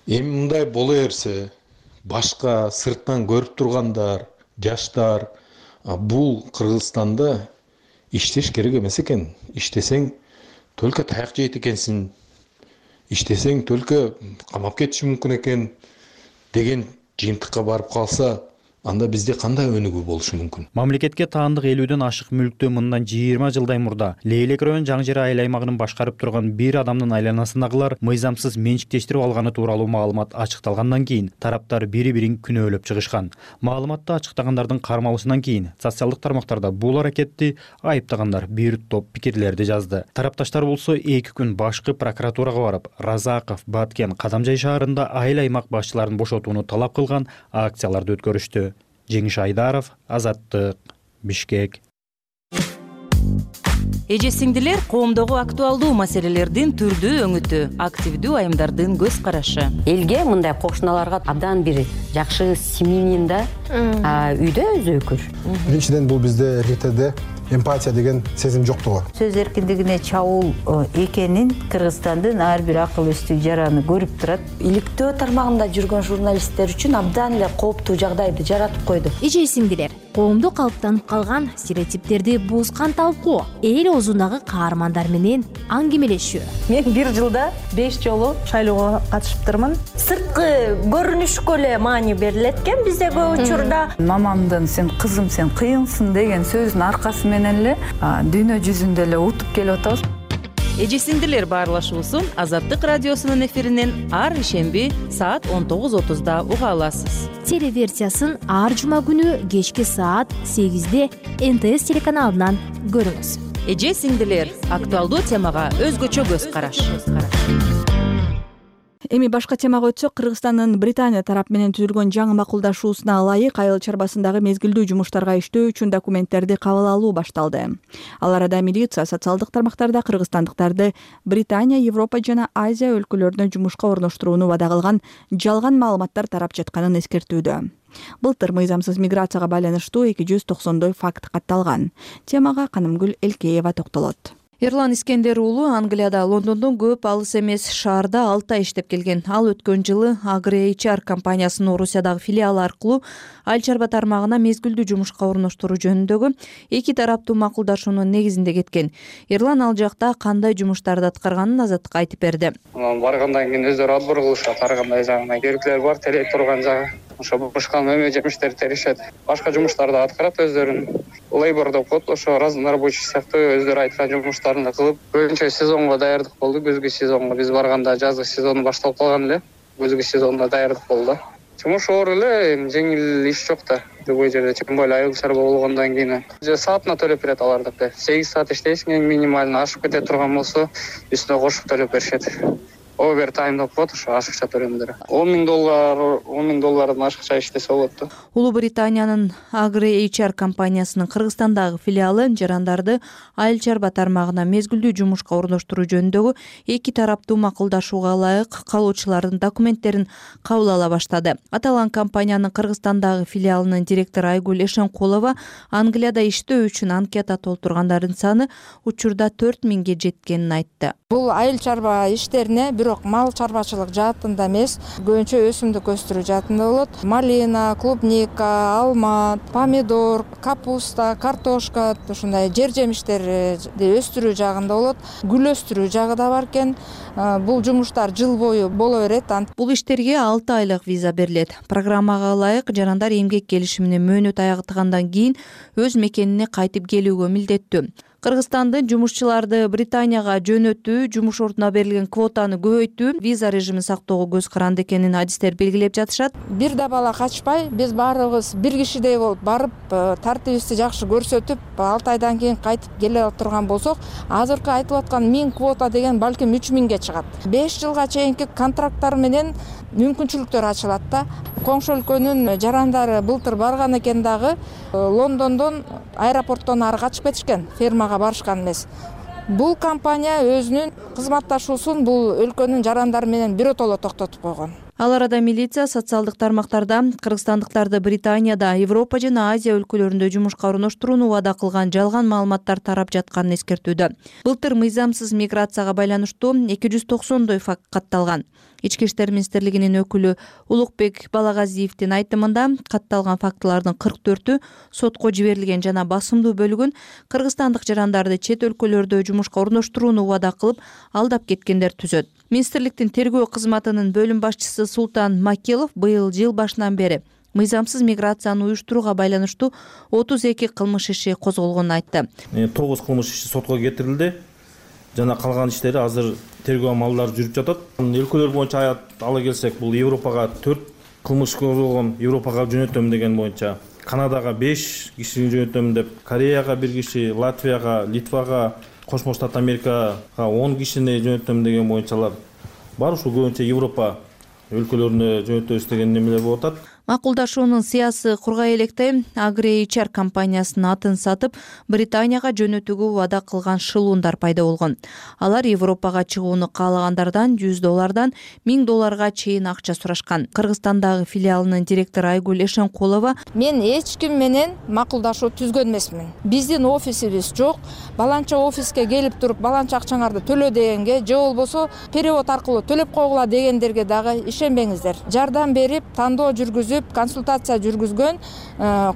Эми мындай боло берсе, башка сырттан көрүп тургандар, жаштар бул Кыргызстанда иштеш керек эмес экен. Иштесең только таяк жейт экенсиң. Иштесең только камап кетиши мүмкүн экен деген жыйынтыкка барып калса, анда бизде кандай өнүгүү болушу мүмкүн? Мамлекетке таандык 50ден ашык мүлктү мындан 20 жылдай мурда Лейлек район жаңы жер айыл аймагынын башкарып турган бир адамдын айланасындагылар мыйзамсыз менчиктештирип алганы тууралуу маалымат ачыкталгандан кийин тараптар бири-бирин күнөөлөп чыгышкан. Маалыматты ачыктагандар кармалышынан кийин социалдык тармактарда бул аракетти айыптагандар бир топ пикирлерди жазды. Тарапташтар болсо 2 күн башкы прокуратурага барып, Разаков, Баткен, Кадамжай шаарында айыл аймак башчыларын бошотууну талап кылган акцияларды өткөрүштү. Жеңиш Айдаров, Азаттык, Бишкек. Эже сиңдилер, коомдогу актуалдуу маселелердин түрдүү өңүтү, активдүү айымдардын көз карашы. Элге мындай кошуналарга абдан бир жакшы семьянин да үйдө өзөкүр. Биринчиден бул бизде РТде эмпатия деген сезим жоктугу. Сөз эркиндигине чабуул экенин Кыргызстандын ар бир акыл эстүү жараны көрүп турат. Иликтөө тармагында жүргөн журналисттер үчүн абдан эле кооптуу жагдайды жаратып койду. Эже сиңдилер, коомдо калыптанып калган стереотиптерди бузган талкуу, эл оозундагы каармандар менен аңгемелешүү. Мен бир жылда 5 жолу шайлоого катышыптырмын. Сырткы көрүнүшкө эле маани берилет экен бизде көп учурда. Мамамдын сен кызым сен кыйынсың деген сөзүнүн аркасы менен эле дүйнө жүзүндө эле утуп келип атабыз. Эже сиңдилер баарлашуусун Азаттык радиосунун эфиринен ар ишемби саат 19:30 уга аласыз. Телеверсиясын ар жума күнү кечки саат 8-де НТС телеканалынан көрүңүз. Эже сиңдилер, актуалдуу темага өзгөчө көз караш. Эми башка темага өтсөк, Кыргызстандын Британия тарап менен түзүлгөн жаңы макулдашуусуна ылайык айыл чарбасындагы мезгилдүү жумуштарга иштөө үчүн документтерди кабыл алуу башталды. Ал арада милиция социалдык тармактарда кыргызстандыктарды Британия, Европа жана Азия өлкөлөрүнө жумушка орноштурууну вада кылган жалган маалыматтар тарап жатканын эскертүүдө. Былтыр мыйзамсыз миграцияга байланыштуу 290 факт катталган. Темага Канымгүл Элкеева токтолот. Эрлан Искендер уулу Англияда Лондондон көп алыс эмес шаарда 6 ай иштеп келген. Ал өткөн жылы AgriHR компаниясынын Орусиядагы филиалы аркылуу айыл чарба тармагына мезгилдүү жумушка орноштуруу жөнүндөгү 2 тараптуу макулдашуунун негизинде кеткен. Эрлан ал жакта кандай жумуштарды аткарганын Азаттыкка айтып берди. Баргандан кийин өздөрү отбор кылышат, ар кандай жагына керектелер бар, телей турган жагы. Ошо бушкан мөмө жемиштерди теришет. Башка жумуштарды аткарат өздөрүнүн. лейбор деп коет, ошо разнорабочий сыяктуу өздөрү айткан жумуштарын кылып, көбүнчө сезонго даярдык болду. Күзгү сезонго биз барганда жазгы сезону башталып калган эле. Күзгү сезонуна даярдык болду. Жумуш оор эле, жеңил иш жок да. Любой жерде, тем более айыл чарба болгондон кийин саатына төлөп берет алардыкы. 8 саат иштейсиң, эң минимально ашып кете турган болсо, үстүнө кошуп төлөп беришет. Овертайм деп коет, ошо ашыкча төлөмдөр. $10,000 $10,000 ашыкча иштесе болот да. Улуу Британиянын AgriHR компаниясынын Кыргызстандагы филиалы жарандарды айыл чарба тармагына мезгилдүү жумушка орноштуруу жөнүндөгү эки тараптуу макулдашууга ылайык калуучулардын документтерин кабыл ала баштады. Аталган компаниянын Кыргызстандагы филиалынын директору Айгүл Эшенкулова Англияда иштөө үчүн анкета толтургандардын саны учурда 4000 жеткенин айтты. Бул айыл чарба иштерине бирок мал чарбачылык жаатында эмес, көбүнчө өсүмдүк өстүрүү жаатында болот. Малина, клубника, алма, помидор, капуста, картошка, ушундай жер жемиштерди өстүрүү жагында болот. Гүл өстүрүү жагы да бар экен. Бул жумуштар жыл бою боло берет. Бул иштерге 6 айлык виза берилет. Программага ылайык жарандар эмгек келишимине мөөнөт аягытгандан кийин өз мекенине кайтып келүүгө милдеттүү. Кыргызстандын жумушчуларды Британияга жөнөтүү, жумуш ордуна берилген квотаны көбөйтүү, виза режимин сактоого көз каранды экенин адистер белгилеп жатышат. Бир да бала качпай, биз баарыбыз бир кишидей болуп барып, тартибибизди жакшы көрсөтүп, 6 айдан кийин кайтып келе турган болсок, азыркы айтылып аткан 1000 квота деген балким 3000ге чыгат. 5 жылга чейинки контракттар менен мүмкүнчүлүктөр ачылат да. Коңшу өлкөнүн жарандары былтыр барган экен дагы, Лондондон аэропорттон ары качып кетишкен, фермага барышкан эмес. Бул компания өзүнүн кызматташуусун бул өлкөнүн жарандары менен биротоло токтотуп койгон. Ал арада милиция социалдык тармактарда кыргызстандыктарды Британияда, Европа жана Азия өлкөлөрүндө жумушка орноштурууну убада кылган жалган маалыматтар тарап жатканын эскертүүдө. Былтыр мыйзамсыз миграцияга байланыштуу 290 факт катталган. Ички иштер министрлигинин өкүлү Улукбек Балагазиевдин айтымында катталган фактылардын 44-ü сотко жиберилген жана басымдуу бөлүгүн кыргызстандык жарандарды чет өлкөлөрдө жумушка орноштурууну убада кылып алдап кеткендер түзөт. Министрликтин тергөө кызматынын бөлүм башчысы Султан Макилов быйыл жыл башынан бери мыйзамсыз миграцияны уюштурууга байланыштуу 32 кылмыш иши козголгонун айтты. 9 кылмыш иши сотко кетирилди. Жана калган иштери азыр тергөө амалдары жүрүп жатат. Өлкөлөр боюнча ала келсек, бул Европага 4 кылмыш козголгон, Европага жөнөтөм деген боюнча, Канадага 5 кишини жөнөтөм деп, Кореяга 1 киши, Латвияга, Литвага, Кошмо Штат Америкага 10 кишини жөнөтөм деген боюнчалар бар. Ушул көбүнчө Европа өлкөлөрүнө жөнөтөбүз деген немелер болуп атат. Макулдашуунун сыясы кургай электе AgriHR компаниясынын атын сатып, Британияга жөнөтүүгө убада кылган шылуундар пайда болгон. Алар Европага чыгууну каалагандардан $100 $1000 чейин акча сурашкан. Кыргызстандагы филиалынын директору Айгүл Эшенкулова: "Мен эч ким менен макулдашуу түзгөн эмесмин. Биздин офисибиз жок. Баланча офиске келип туруп, баланча акчаңарды төлө дегенге, же болбосо перевод аркылуу төлөп койгула дегендерге дагы ишенбеңиздер. Жардам берип, тандоо жүргүзүп, консультация жүргүзгөн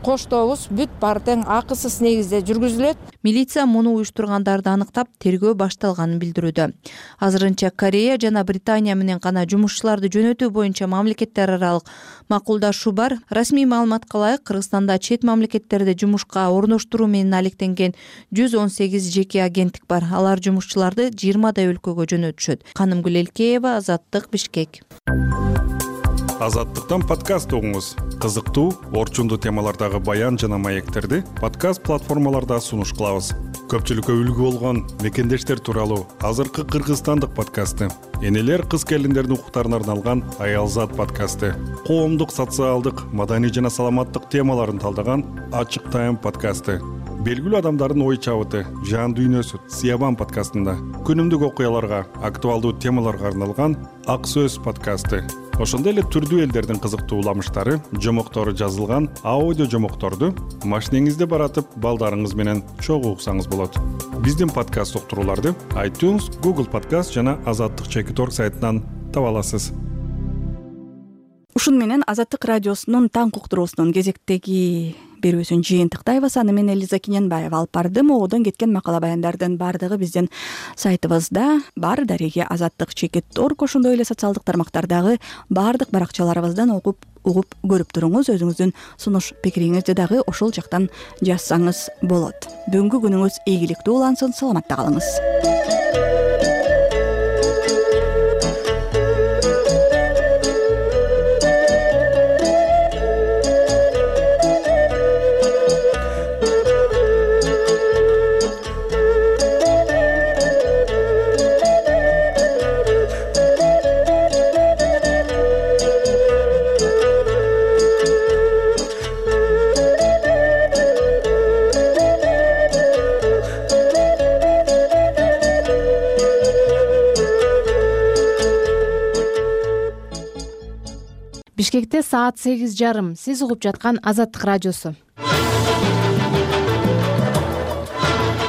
коштобуз бүт баары тең акысыз негизде жүргүзүлөт." Милиция муну уюштургандарды аныктап, тергөө башталганын билдирүүдө. Азырынча Корея жана Британия менен гана жумушчуларды жөнөтүү боюнча мамлекеттер аралык макулдашуу бар. Расмий маалыматка ылайык, Кыргызстанда чет мамлекеттерде жумушка орноштуруу менен алектенген 118 жеке агенттик бар. Алар жумушчуларды 20 өлкөгө жөнөтүшөт. Канымгүл Элкеева, Азаттык, Бишкек. Азаттыктан подкаст угуңуз. Кызыктуу, орчундуу темалардагы баян жана маектерди подкаст платформаларда сунуш кылабыз. Көпчүлүккө үлгү болгон мекендештер тууралуу азыркы кыргызстандык подкасты, энелер кыз келиндердин укуктарына арналган Аялзат подкасты, коомдук, социалдык, маданий жана саламаттык темаларын талдаган Ачык Тайм подкасты, белгилүү адамдардын ой чабыты, жан дүйнөсү Сиябан подкастында, күнүмдүк окуяларга, актуалдуу темаларга арналган Ак Сөз подкасты. Ошондой эле түрдүү элдердин кызыктуу уламыштары, жомоктору жазылган аудио жомокторду машинеңизде баратып, балдарыңыз менен чогуу уксаңыз болот. Биздин подкаст уктурууларды iTunes, Google Podcast жана Азаттык.org сайтынан таба аласыз. Ушун менен Азаттык радиосунун таң уктуруусунун кезектеги берүүсүн жыйынтыктайбыз. Аны мен Элиза Кененбаева алып бардым. Оодон кеткен макала баяндардын бардыгы биздин сайтыбызда бар. Дареге Азаттык.org, ошондой эле социалдык тармактардагы бардык баракчаларыбыздан окуп угуп көрүп туруңуз. Өзүңүздүн сунуш пикириңизди дагы ошол жактан жазсаңыз болот. Бүгүнкү күнүңүз ийгиликтүү улансын, саламатта калыңыз. Бишкекте саат 8:30. Сиз угуп жаткан Азаттык радиосу.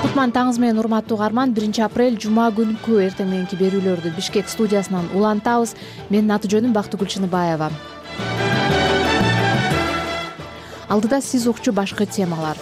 Кутман таңыңыз менен, урматтуу угарман. 1 апрель жума күнкү эртең мененки берүүлөрдү Бишкек студиясынан улантабыз. Менин аты жөнүм Бактыгүл Чыныбаева. Алдыда сиз укчу башкы темалар.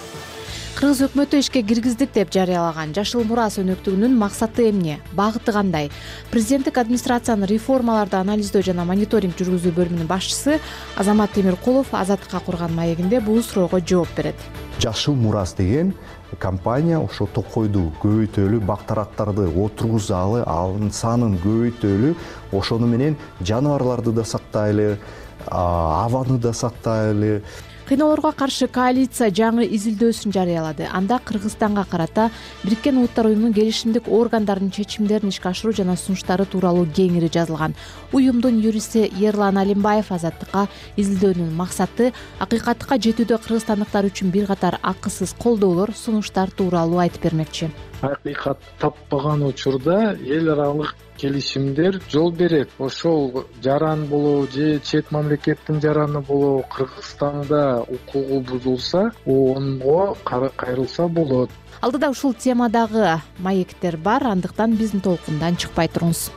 Кыргыз өкмөтү ишке киргиздик деп жарыялаган Жашыл Мурас өнөктүгүнүн максаты эмне? Багыты кандай? Президенттик администрациянын реформаларды анализдөө жана мониторинг жүргүзүү бөлүмүнүн башчысы Азамат Темиркулов Азаттыкка курган маегинде бул суроого жооп берет. Жашыл Мурас деген компания ошо токойду көбөйтөлү, бактарактарды отургузалы, анын санын көбөйтөлү, ошону менен жаныбарларды да сактайлы, абаны да сактайлы. Кыйноолорго каршы коалиция жаңы изилдөөсүн жарыялады. Анда Кыргызстанга карата Бириккен Улуттар уюмунун келишимдик органдарынын чечимдерин ишке ашыруу жана сунуштары тууралуу кеңири жазылган. Уюмдун юристи Ерлан Алимбаев Азаттыкка изилдөөнүн максаты акыйкатка жетүүдө кыргызстандыктар үчүн бир катар акысыз колдоолор, сунуштар тууралуу айтып бермекчи. Акыйкат таппаган учурда эл аралык келишимдер жол берет. Ошол жаран болобу же чет мамлекеттин жараны болобу Кыргызстанда укугу бузулса, онго кайрылса болот. Алдыда ушул темадагы маектер бар, андыктан биздин толкундан чыкпай туруңуз.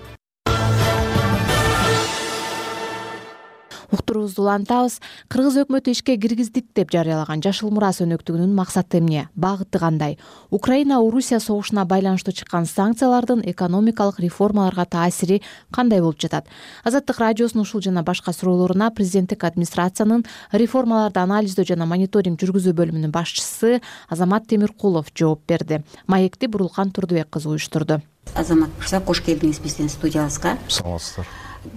Уктуруубузду улантабыз. Кыргыз өкмөтү ишке киргиздик деп жарыялаган Жашыл Мурас өнөктүгүнүн максаты эмне? Багыты кандай? Украина-Орусия согушуна байланыштуу чыккан санкциялардын экономикалык реформаларга таасири кандай болуп жатат? Азаттык радиосунун ушул жана башка суроолоруна президенттик администрациянын реформаларды анализдөө жана мониторинг жүргүзүү бөлүмүнүн башчысы Азамат Темиркулов жооп берди. Маекти Бурулкан Турдубек кызы уюштурду. Азамат мырза, кош келдиңиз биздин студиябызга. Саламатсыздар.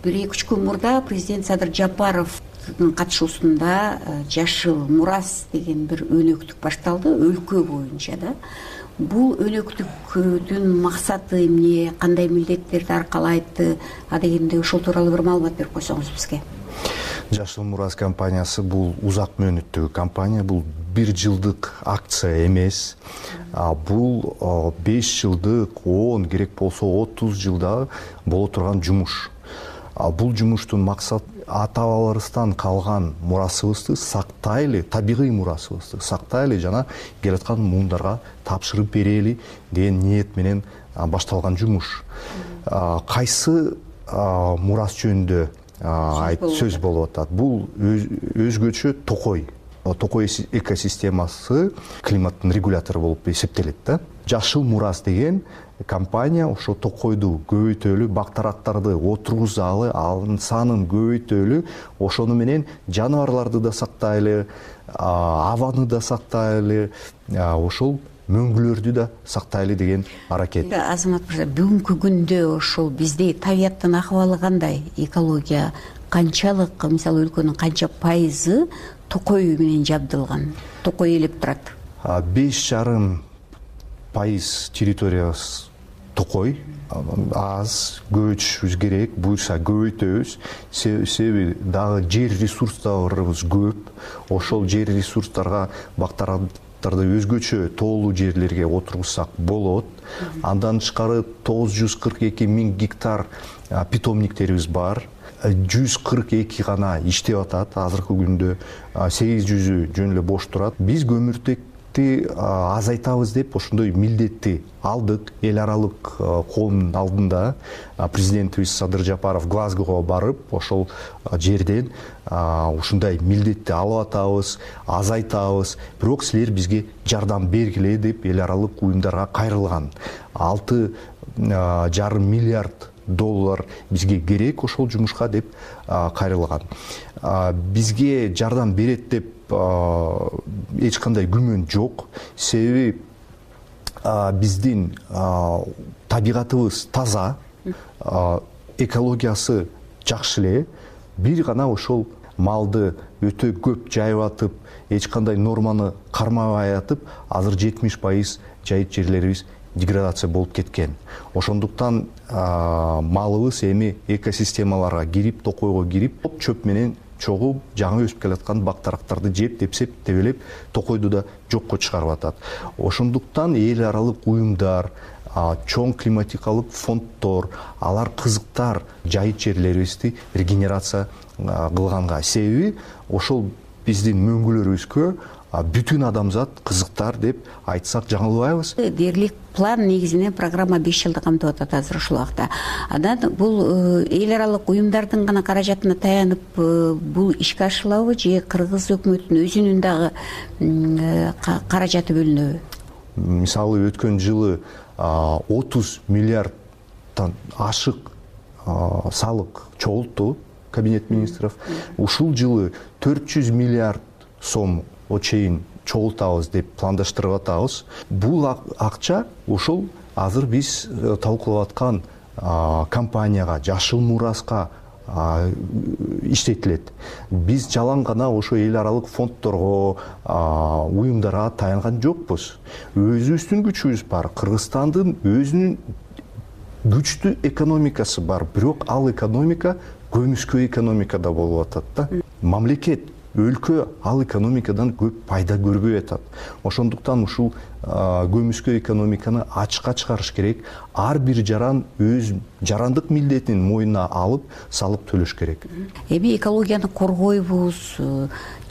1-2 күн мурда президент Садыр Жапаровдун катышуусунда Жашыл Мурас деген бир өнөктүк башталды, өлкө боюнча да. Бул өнөктүктүн максаты эмне, кандай милдеттерди аркалайт, дегенде ошол тууралуу бир маалымат берип койсоңуз бизге. Жашыл Мурас компаниясы бул узак мөөнөттөгү компания, бул 1 жылдык акция эмес. Бул 5 жылдык, 10 керек болсо 30 жылда боло турган жумуш. Бул жумуштун максаты ата-бабаларыбыздан калган мурасыбызды сактайлы, табигый мурасыбызды сактайлы жана келаткан муундарга тапшырып берели деген ниет менен башталган жумуш. Кайсы мурас жөнүндө сөз болуп атат? Бул өзгөчө токой экосистемасы климаттын регулятору болуп эсептелет да. Жашыл Мурас деген компания ошо токойду көбөйтөлү, бактарактарды отургузалы, анын санын көбөйтөлү, ошону менен жаныбарларды да сактайлы, абаны да сактайлы, ошол мөңгүлөрдү да сактайлы деген аракет. Азамат мырза, бүгүнкү күндө ошол бизде табияттын акыбалы кандай? Экология канчалык, мисалы өлкөнүн канча пайызы токой менен жабдылган? Токой элеп турат. 5,5% территориябыз токой. Аз көбөйтүшүбүз керек, буюрса көбөйтөбүз. Себеби дагы жер ресурстарыбыз көп. Ошол жер ресурстарга бактарактарды өзгөчө тоолуу жерлерге отургузсак болот. Андан тышкары 942 000 гектар питомниктерибиз бар. 142 гана иштеп атат. Азыркы күндө 800 жөн эле бош турат. Биз көмүртекти азайтабыз деп ошондой милдетти алдык. Эл аралык коомдун алдында президентибиз Садыр Жапаров Глазгого барып, ошол жерден ушундай милдетти алып атабыз, азайтабыз. Бирок силер бизге жардам бергиле деп эл аралык уюмдарга кайрылган. 6,5 миллиард доллар бизге керек ошол жумушка деп кайрылган. Бизге жардам берет деп эч кандай күмөн жок. Себеби биздин табигатыбыз таза, экологиясы жакшы эле. Бир гана ошол малды өтө көп жайып атып, эч кандай норманы кармабай атып, азыр 70% жайыт жерлерибиз деградация болуп кеткен. Ошондуктан малыбыз эми экосистемаларга кирип, токойго кирип, чөп менен чогуп, жаңы өсүп келаткан бак-дарактарды жеп, тепсеп, тебелеп, токойду да жокко чыгарып атат. Ошондуктан эл аралык уюмдар, чоң климатикалык фонддор, алар кызыктар жайыт жерлерибизди регенерация кылганга. Себеби ошол биздин мөңгүлөрүбүзгө бүтүн адамзат кызыктар деп айтсак жаңылбайбыз. Дээрлик план негизинен программа 5 жылды камтып атат азыр ушул убакта. Анан бул эл аралык уюмдардын гана каражатына таянып бул ишке ашырылабы же кыргыз өкмөтүнүн өзүнүн дагы каражаты бөлүнөбү? Мисалы өткөн жылы 30 миллиардтан ашык салык чогултту кабинет министров. Ушул жылы 400 миллиард сом чейин чогултабыз деп пландаштырып атабыз. Бул акча ошол азыр биз талкуулап аткан компанияга, Жашыл Мураска иштетилет. Биз жалаң гана ошо эл аралык фонддорго, уюмдарга таянган жокпуз. Өзүбүздүн күчүбүз бар. Кыргызстандын өзүнүн күчтүү экономикасы бар, бирок ал экономика көмүскө экономикада болуп атат да. Мамлекет, өлкө ал экономикадан көп пайда көрбөй атат. Ошондуктан ушул көмүскө экономиканы ачыкка чыгарыш керек. Ар бир жаран өз жарандык милдетин мойнуна алып, салык төлөш керек. Эми экологияны коргойбуз,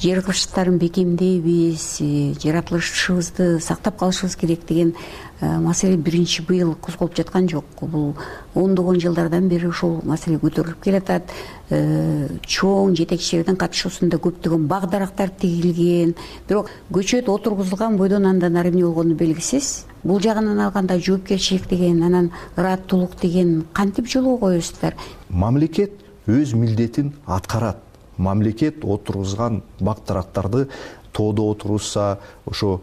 жер кыртыштарын бекемдейбиз, жаратылышыбызды сактап калышыбыз керек деген маселе биринчи быйыл козголуп жаткан жок. Бул ондогон жылдардан бери ушул маселе көтөрүлүп келатат. Чоң жетекчилердин катышуусунда көптөгөн бак-дарактар тигилген, бирок көчөт отургузулган бойдон андан ары эмне болгону белгисиз. Бул жагынан алганда жоопкерчилик деген, анан ыраттуулук деген кантип жолго коесуздар? Мамлекет өз милдетин аткарат. Мамлекет отургузган бак-дарактарды тоодо отургузса, ошо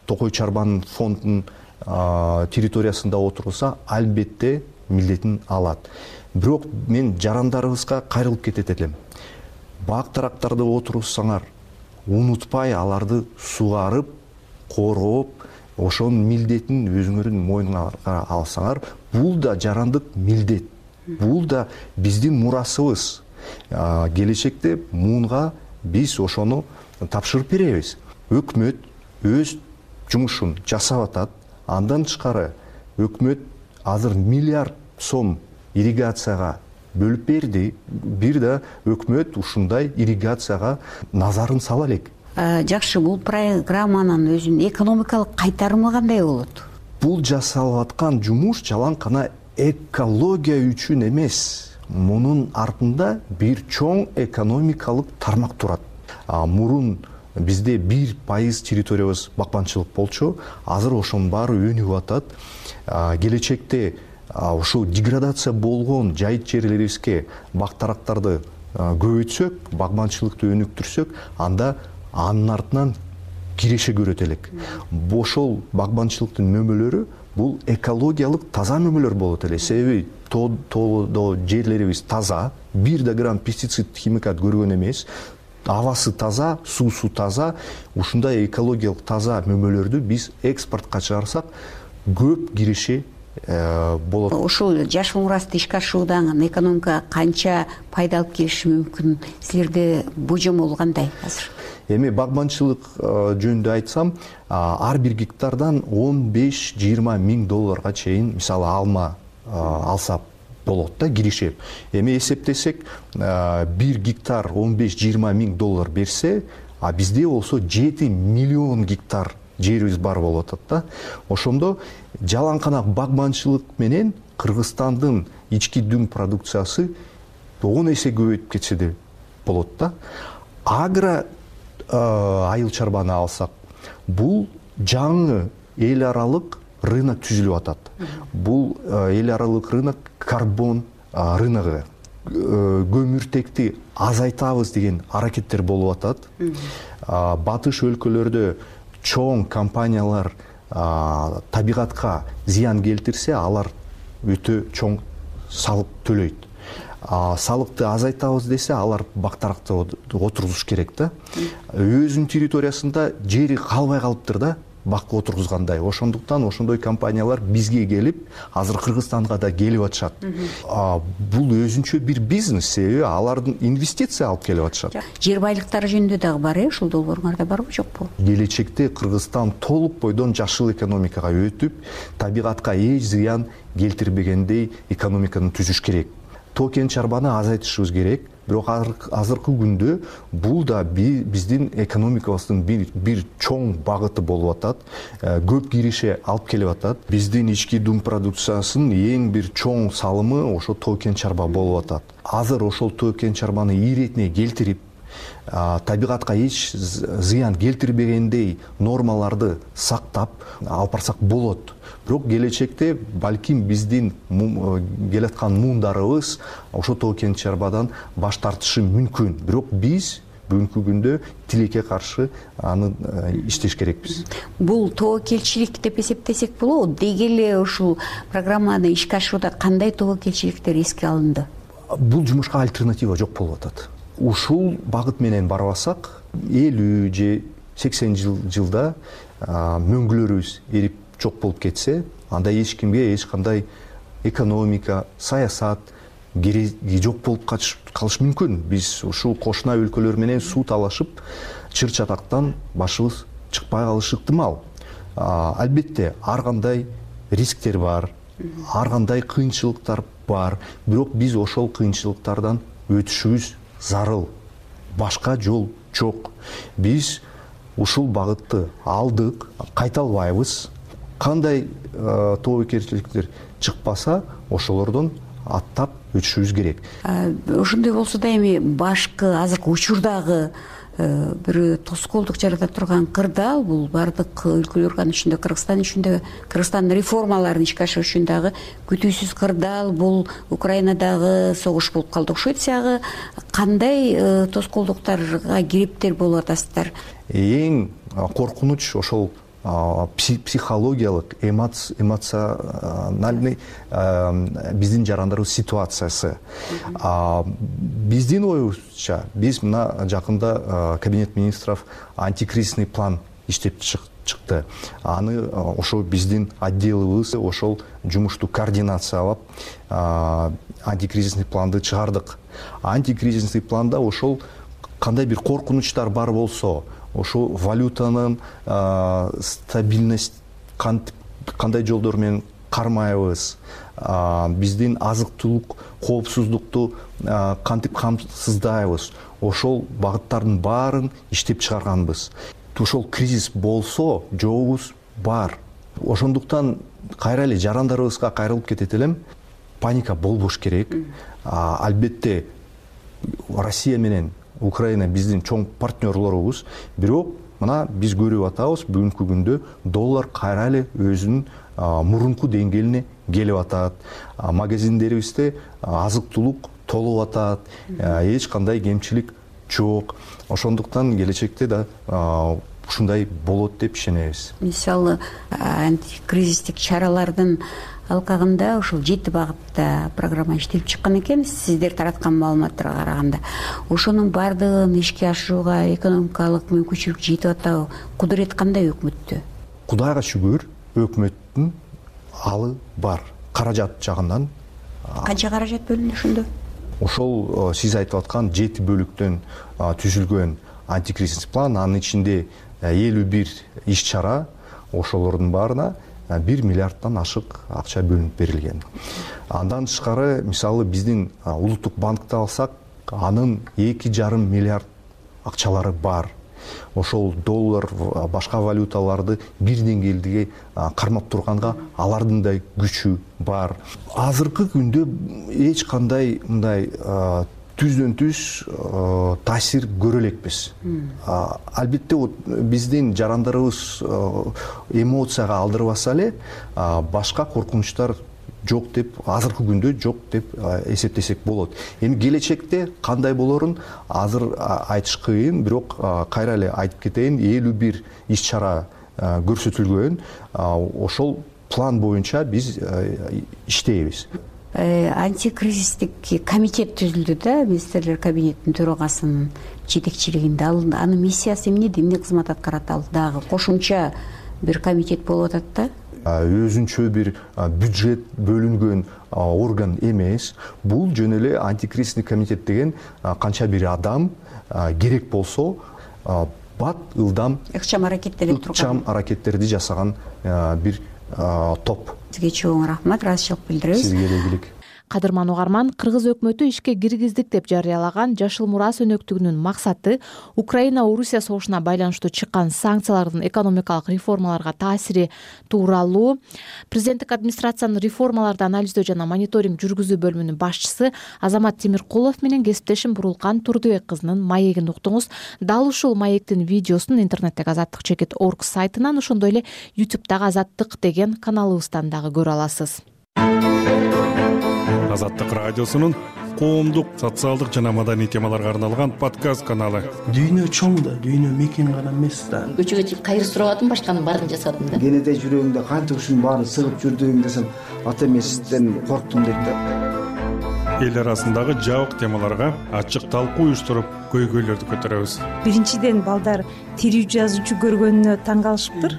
Токой Чарбан фондунун территориясында отургузса, албетте милдетин алат. Бирок мен жарандарыбызга кайрылып кетет элем. Бак-дарактарды отургузсаңар, унутпай аларды сугарып, коргоп, ошонун милдетин өзүңөрдүн мойнуңарга алсаңар, бул да жарандык милдет. Бул да биздин мурасыбыз. Келечекте муунга биз ошону тапшырып беребиз. Өкмөт өз жумушун жасап атат. Андан тышкары өкмөт азыр миллиард сом ирригацияга бөлүп берди. Бир да өкмөт ушундай ирригацияга назарын сала элек. Жакшы, бул программанын өзүнүн экономикалык кайтарымы кандай болот? Бул жасалып аткан жумуш жалаң гана экология үчүн эмес. Мунун артында бир чоң экономикалык тармак турат. Мурун бизде 1% территориябыз бакманчылык болчу, азыр ошонун баары өнүгүп атат. Келечекте ошол деградация болгон жайыт жерлерибизге бак-дарактарды көбөйтсөк, багманчылыкты өнүктүрсөк, анда анын артынан киреше көрөт элек. Ошол багманчылыктын мөмөлөрү бул экологиялык таза мөмөлөр болот эле. Себеби тоодо жерлерибиз таза, бир да грамм пестицид, химикат көргөн эмес. Абасы таза, суусу таза. Ушундай экологиялык таза мөмөлөрдү биз экспортко чыгарсак, көп киреше болот. Ушул Жашыл Мурасты ишке ашыруудан экономикага канча пайда алып келиши мүмкүн? Силерде божомол кандай азыр? Эми багманчылык жөнүндө айтсам, ар бир гектардан 15-20 миң долларга чейин мисалы алма алса болот да, киришеп. Эми эсептесек, 1 гектар 15-20 миң доллар берсе, а бизде болсо 7 миллион гектар жерибиз бар болуп атат да. Ошондо жалаң гана багманчылык менен Кыргызстандын ички дүң продукциясы 10 эсе көбөйүп кетсе де болот да. Агро айыл чарбаны алсак, бул жаңы эл аралык рынок түзүлүп атат. бул эл аралык рынок карбон рыногу. Көмүртекти азайтабыз деген аракеттер болуп атат. Батыш өлкөлөрдө чоң компаниялар табигатка зыян келтирсе, алар өтө чоң салык төлөйт. Салыкты азайтабыз десе, алар бактаракта отургузуш керек да. Өзүнүн территориясында жери калбай калыптыр да, бакка отургузгандай. Ошондуктан ошондой компаниялар бизге келип, азыр Кыргызстанга да келип атышат. Бул өзүнчө бир бизнес, себеби алардын инвестиция алып келип атышат. Жер байлыктары жөнүндө дагы бар, ушул долбооруңарда барбы, жокпу? Келечекте Кыргызстан толук бойдон жашыл экономикага өтүп, табигатка эч зыян келтирбегендей экономиканы түзүш керек. Тоо кен чарбаны азайтышыбыз керек. Бирок азыркы күндө бул да биздин экономикабыздын бир чоң багыты болуп атат. Көп киреше алып келип атат. Биздин ички дум продукциясынын эң бир чоң салымы ошо тоо кен чарба болуп атат. Азыр ошол тоо кен чарбаны иретине келтирип, табигатка эч зыян келтирбегендей нормаларды сактап алып барсак болот. Бирок келечекте балким биздин келаткан муундарыбыз ошо тоо кен чарбадан баш тартышы мүмкүн. Бирок биз бүгүнкү күндө тилекке каршы аны иштеш керекпиз. Бул тобокелчилик деп эсептесек болобу? Деги эле ушул программаны ишке ашырууда кандай тобокелчиликтер эске алынды? Бул жумушка альтернатива жок болуп атат. Ушул багыт менен барбасак, 50 же 80 жылда мөңгүлөрүбүз эрип жок болуп кетсе, анда эч кимге эч кандай экономика, саясат кереги жок болуп калышы мүмкүн. Биз ушул кошуна өлкөлөр менен суу талашып, чыр чатактан башыбыз чыкпай калышы ыктымал. Албетте, ар кандай рисктер бар, ар кандай кыйынчылыктар бар, бирок биз ошол кыйынчылыктардан өтүшүбүз зарыл. Башка жол жок. Биз ушул багытты алдык, кайта албайбыз. Кандай тобокелчиликтер чыкпаса, ошолордон аттап өтүшүбүз керек. Ошондой болсо да эми башкы азыркы учурдагы бир тоскоолдук жарата турган кырдаал бул бардык өлкөлөргө, анын ичинде Кыргызстан ичинде, Кыргызстандын реформаларын ишке ашыруу үчүн дагы күтүүсүз кырдаал бул Украинадагы согуш болуп калды окшойт. Сиягы кандай тоскоолдуктарга кириптер болуп атасыздар? Эң коркунуч ошол психологиялык, эмоциональный биздин жарандарыбыз ситуациясы. Биздин оюбузча, биз мына жакында Кабинет министров антикризисный план иштеп чыкты. Аны ошо биздин отделыбыз ошол жумушту координациялап антикризисный планды чыгардык. Антикризисный планда ошол кандай бир коркунучтар бар болсо, ошо валютанын стабильность кандай жолдор менен кармайбыз, биздин азык-түлүк коопсуздукту кантип камсыздайбыз, ошол багыттардын баарын иштеп чыгарганбыз. Ошол кризис болсо жообубуз бар. Ошондуктан кайра эле жарандарыбызга кайрылып кетет элем, паника болбош керек. Албетте Россия менен Украина биздин чоң партнерлорубуз, бирок мына биз көрүп атабыз, бүгүнкү күндө доллар кайра эле өзүнүн мурунку деңгээлине келип атат. Магазиндерибизде азык-түлүк толуп атат, эч кандай кемчилик жок. Ошондуктан келечекте да ушундай болот деп ишенебиз. Мисалы, антикризистик чаралардын алкагында ушул 7 багытта программа иштелип чыккан экен. Сиздер тараткан маалыматтарга караганда, ошонун баардыгын ишке ашырууга экономикалык мүмкүнчүлүк жетип атабы? Кудурет кандай өкмөттө? Кудайга шүгүр, өкмөттүн алы бар. Каражат жагынан. Канча каражат бөлүндү ошондо? Ошол сиз айтып аткан 7 бөлүктөн түзүлгөн антикризисный план, анын ичинде 51 иш чара, ошолордун баарына 1 миллиардтан ашык акча бөлүнүп берилген. Андан тышкары, мисалы, биздин улуттук банкты алсак, анын 2,5 миллиард акчалары бар. Ошол доллар, башка валюталарды бир деңгээлде кармап турганга алардын да күчү бар. Азыркы күндө эч кандай мындай түздөн түз таасир көрө элекпиз. Албетте биздин жарандарыбыз эмоцияга алдырбаса эле башка коркунучтар жок деп, азыркы күндө жок деп эсептесек болот. Эми келечекте кандай болорун азыр айтыш кыйын, бирок кайра эле айтып кетейин, 51 иш-чара көрсөтүлгөн. Ошол план боюнча биз иштейбиз. Антикризистик комитет түзүлдү да, министрлер кабинетинин төрагасынын жетекчилигинде. Анын миссиясы эмне, эмне кызмат аткарат? Ал дагы кошумча бир комитет болуп атат да. Өзүнчө бир бюджет бөлүнгөн орган эмес. Бул жөн эле антикризистик комитет деген канча бир адам керек болсо бат ылдам ыкчам аракеттерди жасаган бир топ. Сизге чоң рахмат, ыраазычылык билдиребиз. Сизге элегилик. Кадырман угарман, кыргыз өкмөтү ишке киргиздик деп жарыялаган Жашыл Мурас өнөктүгүнүн максаты Украина-Орусия согушуна байланыштуу чыккан санкциялардын экономикалык реформаларга таасири тууралуу президенттик администрациянын реформаларды анализдөө жана мониторинг жүргүзүү бөлүмүнүн башчысы Азамат Темиркулов менен кесиптешим Бурулкан Турдубек кызынын маегин уктуңуз. Дал ушул маектин видеосун интернеттеги azattik.org сайтынан, ошондой эле YouTube'дагы Азаттык деген каналыбыздан дагы көрө аласыз. Азаттык радиосунун коомдук, социалдык жана маданий темаларга арналган подкаст каналы. Дүйнө чоң да, дүйнө мекен гана эмес да. Көчөгө чыгып кайыр сурабадым, башканын баарын жасадым да. Кенеде жүрөгүңдө канча ушунун баарын сыгып жүрдүң десем, ата эмесизден корктум дейт да. Эл арасындагы жабык темаларга ачык талкуу уюштуруп, көйгөйлөрдү көтөрөбүз. Биринчиден балдар тирүү жазуучу көргөнүнө таң калышыптыр.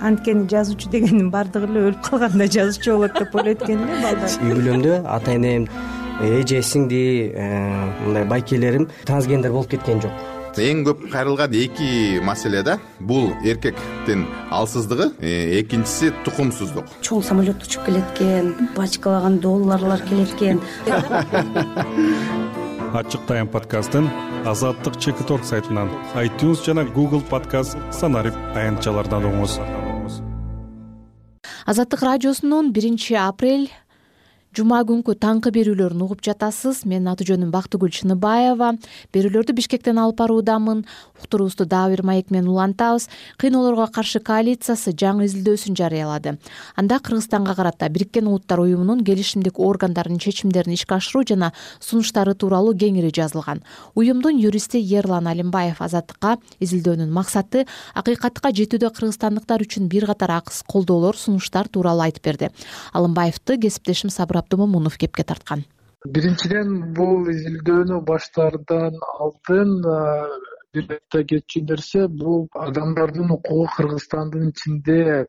Анткени жазуучу дегендин баардыгы эле өлүп калганда жазуучу болот деп ойлойт экен эле балдар. Үй бүлөмдө ата энем, эже, сиңди, мындай байкелерим трансгендер болуп кеткен жок. Эң көп кайрылган эки маселе да. Бул эркектин алсыздыгы, экинчиси тукумсуздук. Чоң самолет учуп келет экен, бачкалаган долларлар келет экен. Ачык тайм подкастын azattik.org сайтынан, iTunes жана Google подкаст санарип аянтчалардан угуңуз. Азаттык радиосунун 1-апрель жума күнкү таңкы берүүлөрүн угуп жатасыз. Менин аты жөнүм Бактыгүл Чыныбаева. Берүүлөрдү Бишкектен алып баруудамын. Уктуруубузду дагы бир маек менен улантабыз. Кыйноолорго каршы коалициясы жаңы изилдөөсүн жарыялады. Анда Кыргызстанга карата Бириккен Улуттар уюмунун келишимдик органдарынын чечимдерин ишке ашыруу жана сунуштары тууралуу кеңири жазылган. Уюмдун юристи Ерлан Алимбаев Азаттыкка изилдөөнүн максаты акыйкатка жетүүдө кыргызстандыктар үчүн бир катар акыс колдоолор, сунуштар тууралуу айтып берди. Алымбаевди кесиптешим Сабыр Абдумомунов кепке тарткан. Биринчиден бул изилдөөнү баштаардан алдын бир айта кетчү нерсе, бул адамдардын укугу Кыргызстандын ичинде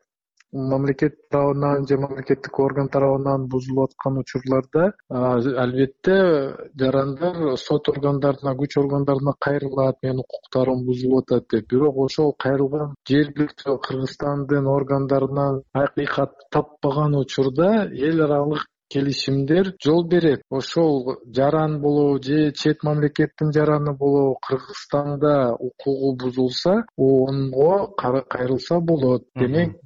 мамлекет тарабынан же мамлекеттик орган тарабынан бузулуп аткан учурларда албетте жарандар сот органдарына, күч органдарына кайрылат, менин укуктарым бузулуп атат деп. Бирок ошол кайрылган жергиликтүү Кыргызстандын органдарынан акыйкат таппаган учурда эл аралык келишимдер жол берет. Ошол жаран болобу же чет мамлекеттин жараны болобу Кыргызстанда укугу бузулса, онго кайрылса болот. Демек,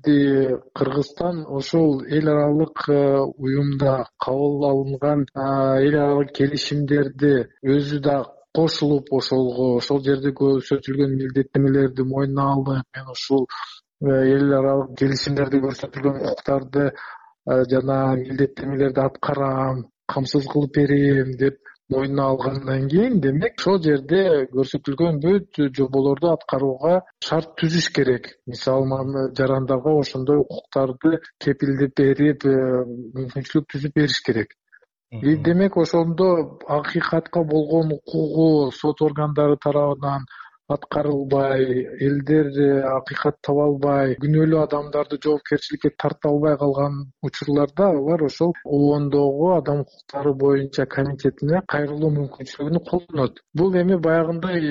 Кыргызстан ошол эл аралык уюмда кабыл алынган эл аралык келишимдерди өзү да кошулуп ошол жерде көрсөтүлгөн милдеттенмелерди мойнуна алып, мен ушул эл аралык келишимдерде көрсөтүлгөн укуктарды жана милдеттенмелерди аткарам, камсыз кылып берем деп мойнуна алгандан кийин, демек ошол жерде көрсөтүлгөн бүт жоболорду аткарууга шарт түзүш керек. Мисалы, жарандарга ошондой укуктарды кепилдеп берип, мүмкүнчүлүк түзүп бериш керек. Демек ошондо акыйкатка болгон укугу сот органдары тарабынан аткарылбай, элдер акыйкат таба албай, күнөөлүү адамдарды жоопкерчиликке тарта албай калган учурларда алар ошол ООНдогу адам укуктары боюнча комитетине кайрылуу мүмкүнчүлүгүн колдонот. Бул эми баягындай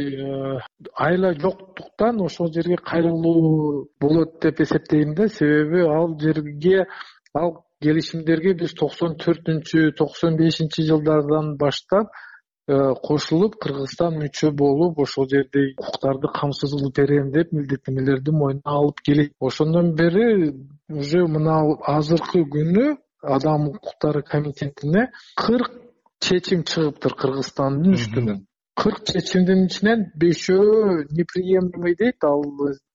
айла жоктуктан ошол жерге кайрылуу болот деп эсептейм да, себеби ал жерге, ал келишимдерге биз 94-95 жылдардан баштап кошулуп Кыргызстан мүчө болуп, ошол жерде укуктарды камсыз кылып берем деп милдеттенмелерди мойнуна алып келет. Ошондон бери уже мына азыркы күнү Адам укуктары комитетине 40 чечим чыгыптыр Кыргызстандын үстүнөн. 40 чечимдин ичинен 5өө неприемлемый дейт, ал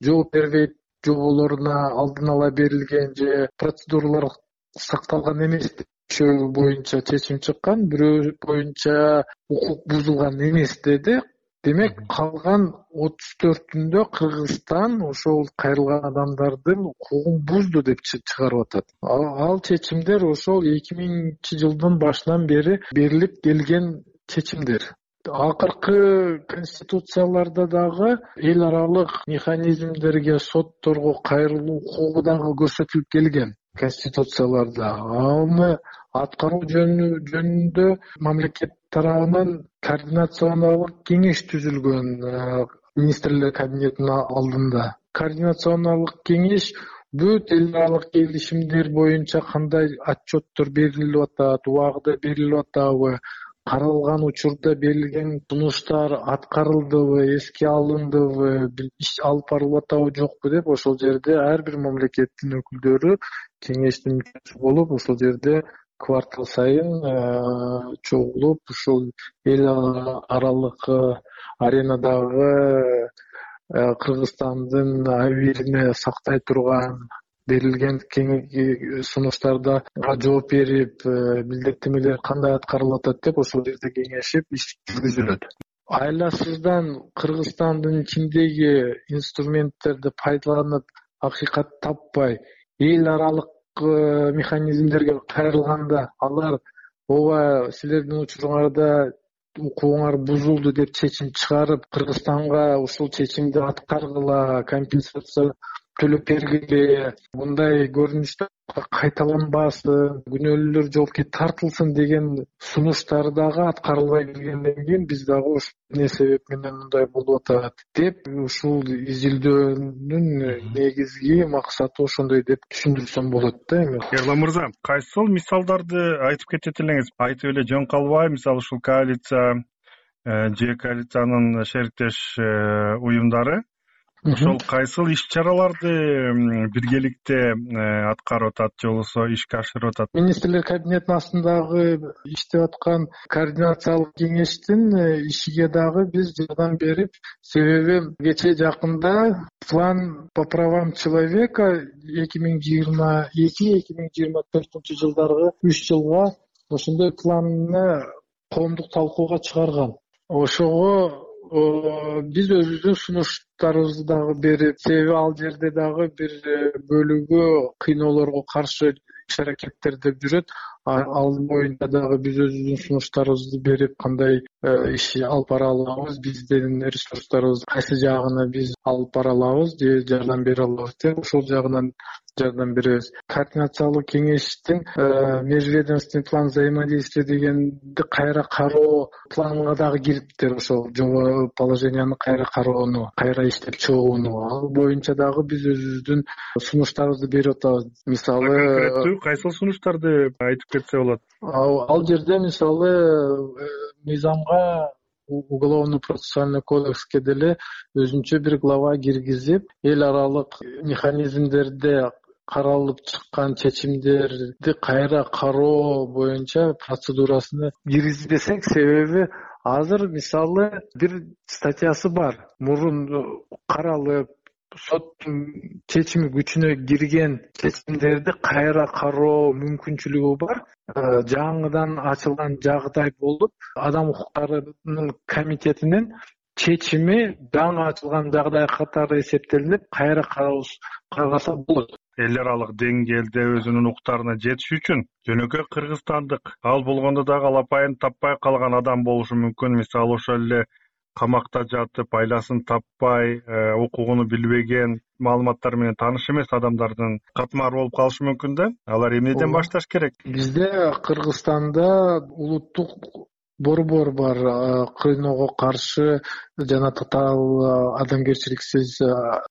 жооп бербейт жоболоруна алдын ала берилген же процедуралар сакталган эмес деп 5 боюнча чечим чыккан, бирөө боюнча укук бузулган эмес деди. Демек калган 34-үндө Кыргызстан ошол кайрылган адамдардын укугун бузду деп чыгарып атат. Ал чечимдер ошол 2000-жылдын башынан бери берилип келген чечимдер. Акыркы конституцияларда дагы эл аралык механизмдерге, сотторго кайрылуу укугу дагы көрсөтүлүп келген конституцияларда. Аны аткаруу жөнүндө мамлекет тарабынан координационалдык кеңеш түзүлгөн министрлер кабинетинин алдында. Координационалдык кеңеш бүт эл аралык келишимдер боюнча кандай отчеттор берилип атат, убагында берилип атабы, каралган учурда берилген сунуштар аткарылдыбы, эске алындыбы, иш алып барылып атабы жокпу деп ошол жерде ар бир мамлекеттин өкүлдөрү кеңештин мүчөсү болуп, ошол жерде квартал сайын чогулуп, ушул эл аралык аренадагы Кыргызстандын абийирине сактай турган берилген сунуштарда жооп берип, милдеттенмелер кандай аткарылып атат деп ошол жерде кеңешип иш жүргүзүлөт. Айласыздан Кыргызстандын ичиндеги инструменттерди пайдаланып акыйкат таппай, эл аралык механизмдерге кайрылганда алар ооба силердин учуруңарда укугуңар бузулду деп чечим чыгарып, Кыргызстанга ушул чечимди аткаргыла, компенсация төлөп бергиле, мындай көрүнүштөр кайталанбасын, күнөөлүүлөр жоопкерге тартылсын деген сунуштар дагы аткарылбай келгенден кийин биз дагы эмне себеп менен мындай болуп атат деп ушул изилдөөнүн негизги максаты ошондой деп түшүндүрсөм болот да. Эми Эрлан мырза, кайсыл мисалдарды айтып кетет элеңиз? Айтып эле жөн калбай, мисалы ушул коалиция же коалициянын шериктеш уюмдары ошол кайсыл иш-чараларды биргеликте аткарып атат же болбосо ишке ашырып атат? Министрлер кабинетинин астындагы иштеп аткан координациялык кеңештин ишиге дагы биз жардам берип, себеби кечээ жакында план по правам человека 2022-2024 жылдарга 3 жылга ошондой планны коомдук талкууга чыгарган. Ошого биз өзүбүздүн сунуштарыбызды дагы берип, себеби ал жерде дагы бир бөлүгү кыйноолорго каршы иш-аракеттер деп жүрөт. Ал боюнча дагы биз өзүбүздүн сунуштарыбызды берип, кандай иш алып бара алабыз, биздин ресурстарыбыз кайсы жагына биз алып бара алабыз же жардам бере алабыз деп ошол жагынан жардам беребиз. Координациялык кеңештин межведомственный план взаимодействия дегенди кайра кароо планына дагы кириптир. Ошол жобо положенияны кайра кароону, кайра иштеп чыгууну, ал боюнча дагы биз өзүбүздүн сунуштарыбызды берип атабыз. Мисалы конкреттүү кайсыл сунуштарды айтып кетсе болот? Ал жерде мисалы мыйзамга, уголовно-процессуальный кодекске деле өзүнчө бир глава киргизип, эл аралык механизмдерде каралып чыккан чечимдерди кайра кароо боюнча процедурасына киргизбесек, себеби азыр мисалы бир статьясы бар. Мурун каралып, соттун чечими күчүнө кирген чечимдерди кайра кароо мүмкүнчүлүгү бар. Жаңыдан ачылган жагдай болуп, адам укуктарынын комитетинин чечими жаңы ачылган жагдай катары эсептелип, кайра каралса болот. Эл аралык деңгээлде өзүнүн укуктарына жетиш үчүн жөнөкөй кыргызстандык, ал болгондо дагы алапайын таппай калган адам болушу мүмкүн. Мисалы ошол эле камакта жатып, айласын таппай, укугуну билбеген, маалыматтар менен тааныш эмес адамдардын катмары болуп калышы мүмкүн да. Алар эмнеден башташ керек? Бизде Кыргызстанда улуттук борбор бар, кыйноого каршы жана татаал адамгерчиликсиз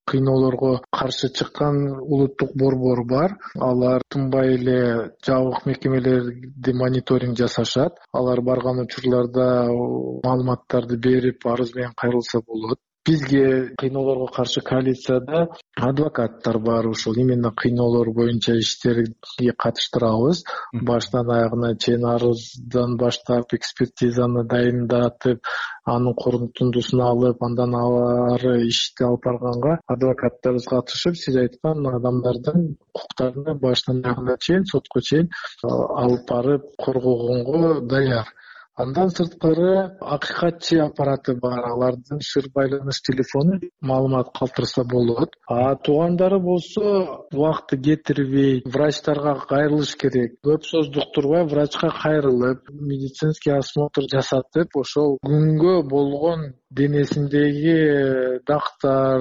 кыйноолорго каршы чыккан улуттук борбор бар. Алар тынбай эле жабык мекемелерди мониторинг жасашат. Алар барган учурларда маалыматтарды берип, арыз менен кайрылса болот. бизге кыйноолорго каршы коалицияда адвокаттар бар, ушул именно кыйноолор боюнча иштерге катыштырабыз. Баштан аягына чейин арыздан баштап экспертизаны дайындатып, анын корутундусун алып, андан ары ишти алып барганга адвокаттарыбыз катышып, сиз айткан адамдардын укуктарына баштан аягына чейин, сотко чейин алып барып коргогонго даяр. Андан сырткары акыйкатчы аппараты бар, алардын шыр байланыш телефону маалымат калтырса болот. Туугандары болсо убакыты кетирбей врачтарга кайрылыш керек. Көп сөз уктурбай врачка кайрылып, медицинский осмотр жасатып, ошол күнгө болгон денесиндеги дактар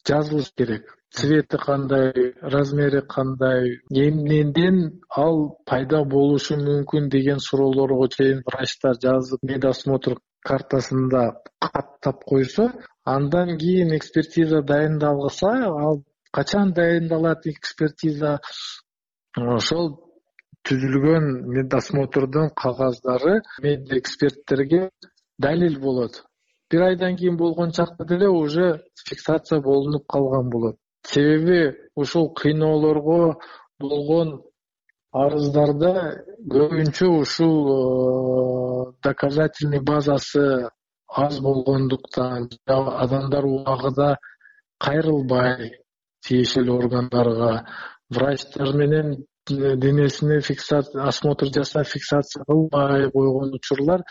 жазылыш керек. Цвети кандай, размери кандай, эмнеден ал пайда болушу мүмкүн деген суроолорго чейин врачтар жазып, медосмотр картасында каттап койсо, андан кийин экспертиза дайындалса, ал качан дайындалат экспертиза? Ошол түзүлгөн медосмотрдун кагаздары медэксперттерге далил болот. Бир айдан кийин болгон чакта деле уже фиксация болунуп калган болот. Себеби ушул кыйноолорго болгон арыздарда көбүнчө ушул доказательный базасы аз болгондуктан, адамдар убагында кайрылбай тиешелүү органдарга, врачтар менен денесине осмотр жасап фиксация кылбай койгон учурлар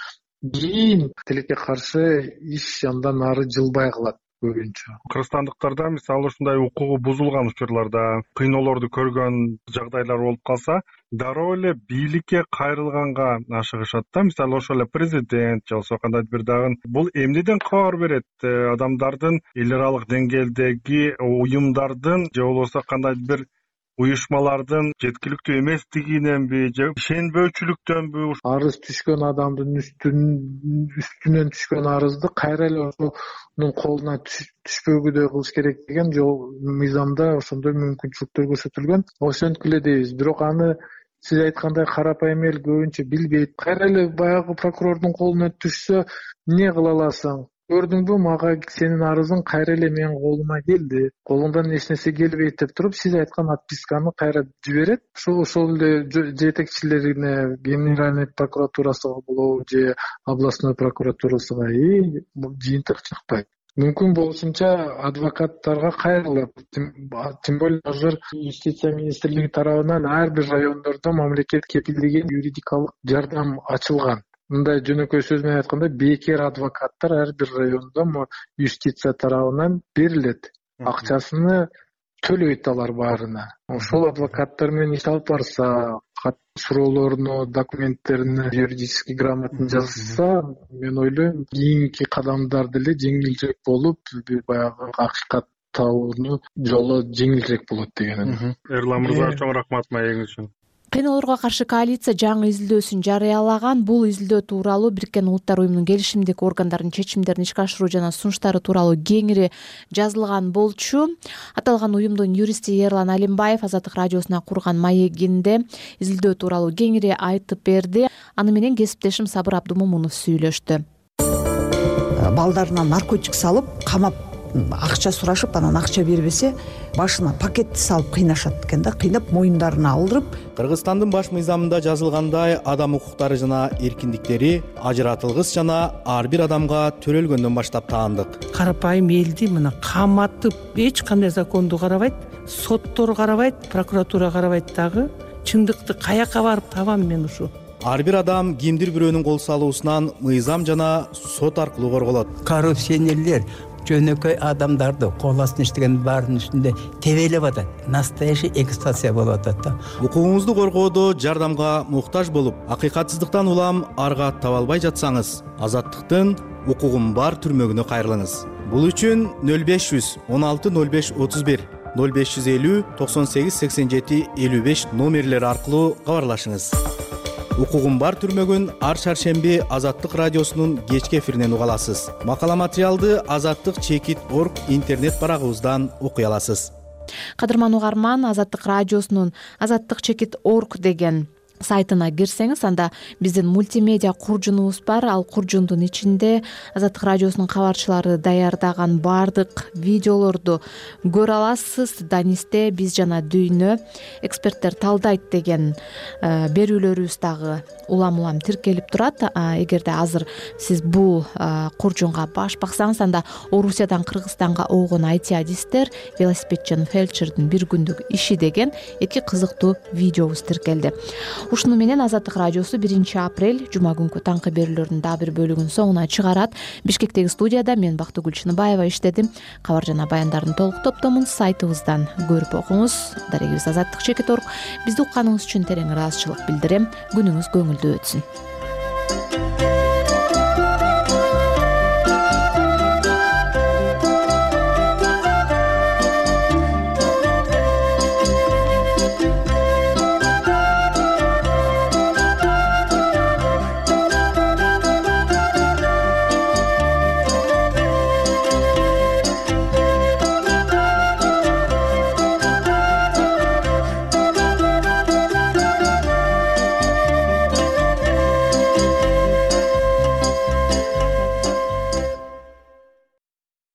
кийин тилекке каршы иш андан ары жылбай калат. Кыргызстандыктарда мисалы ушундай укугу бузулган учурларда кыйноолорду көргөн жагдайлар болуп калса, дароо эле бийликке кайрылганга ашыгышат да. Мисалы ошол эле президент же болбосо кандайдыр бир дагы бул эмнеден кабар берет? Адамдардын эл аралык деңгээлдеги уюмдардын же болбосо кандайдыр бир уюшмалардын жеткиликтүү эместигиненби же ишенбөөчүлүктөнбү? Арыз түшкөн адамдын үстүнөн түшкөн арызды кайра эле ошонун колуна түшпөгүдөй кылыш керек деген жол мыйзамда ошондой мүмкүнчүлүктөр көрсөтүлгөн. Ошентип эле дейбиз. Бирок аны сиз айткандай карапайым эл көбүнчө билбейт. Кайра эле баягы прокурордун колуна түшсө, эмне кыла аласың? Көрдүңбү, мага сенин арызың кайра эле менин колума келди. Колуңдан эч нерсе келбейт деп туруп, сиз айткан отписканы кайра жиберет. Ошол эле жетекчилерине, генеральный прокуратурасына болобу же областной прокуратурасына жыйынтык чыкпайт. Мүмкүн болушунча адвокаттарга кайрылып, тем более азыр юстиция министрлиги тарабынан ар бир райондордо мамлекет кепилдеген юридикалык жардам ачылган. Мындай жөнөкөй сөз менен айтканда, бекер адвокаттар ар бир райондо юстиция тарабынан берилет. Акчасыны төлөйт алар баарына. Ошол адвокаттар менен иш алып барса, суроолоруну, документтерин юридически грамотно жазса, мен ойлойм, кийинки кадамдар деле жеңилирээк болуп, баягы акыйкат табуунун жолу жеңилирээк болот деген. Эрлан мырза, чоң рахмат маегиңиз үчүн. Кыйноолорго каршы коалиция жаңы изилдөөсүн жарыялаган. Бул изилдөө тууралуу Бириккен Улуттар уюмунун келишимдик органдарынын чечимдерин ишке ашыруу жана сунуштары тууралуу кеңири жазылган болчу. Аталган уюмдун юристи Эрлан Алимбаев Азаттык радиосуна курган маегинде изилдөө тууралуу кеңири айтып берди. Аны менен кесиптешим Сабыр Абдумомунов сүйлөштү. Балдарына наркотик салып, камап акча сурашып, анан акча бербесе, башына пакетти салып кыйнашат экен да, кыйнап моюндарына алдырып. Кыргызстандын баш мыйзамында жазылгандай, адам укуктары жана эркиндиктери ажыратылгыс жана ар бир адамга төрөлгөндөн баштап таандык. Карапайым элди мына каматып, эч кандай законду карабайт, соттор карабайт, прокуратура карабайт дагы. Чындыкты каяка барып табам мен ушу? Ар бир адам кимдир бирөөнүн кол салуусунан мыйзам жана сот аркылуу корголот. Коррупционерлер жөнөкөй адамдарды кол астына иштеген баарынын үстүндө тебелеп атат. Настоящий эксплуатация болуп атат да. Укугуңузду коргоодо жардамга муктаж болуп, акыйкатсыздыктан улам арга таба албай жатсаңыз, Азаттыктын укугум бар түрмөгүнө кайрылыңыз. Бул үчүн 0500 16 05 31 0550 98 87 55 номерлери аркылуу кабарлашыңыз. Укугум бар түрмөгүн ар шаршемби Азаттык радиосунун кечки эфиринен уга аласыз. Макала материалды azаттык.org интернет барагыбыздан окуй аласыз. Кадырман угарман, Азаттык радиосунун azаттык.org деген сайтына кирсеңиз, анда биздин мультимедиа куржунубуз бар. Ал куржундун ичинде Азаттык радиосунун кабарчылары даярдаган баардык видеолорду көрө аласыз. Данисте биз жана дүйнө эксперттер талдайт деген берүүлөрүбүз дагы улам тиркелип турат. Эгерде азыр сиз бул куржунга баш баксаңыз, анда Орусиядан Кыргызстанга огон IT-адистер, велосипедчи фельдшердин бир күндүк иши деген 2 кызыктуу видеобуз тиркелди. Ушуну менен Азаттык радиосу 1 апрель жума күнкү таңкы берүүлөрдүн дагы бир бөлүгүн соңуна чыгарат. Бишкектеги студияда мен Бактыгүл Чыныбаева иштедим. Кабар жана баяндардын толук топтомун сайтыбыздан көрүп окуңуз. Дарегибиз Азаттык чекит орг. Бизди укканыңыз үчүн терең ыраазычылык билдирем. Күнүңүз көңүлдүү өтсүн.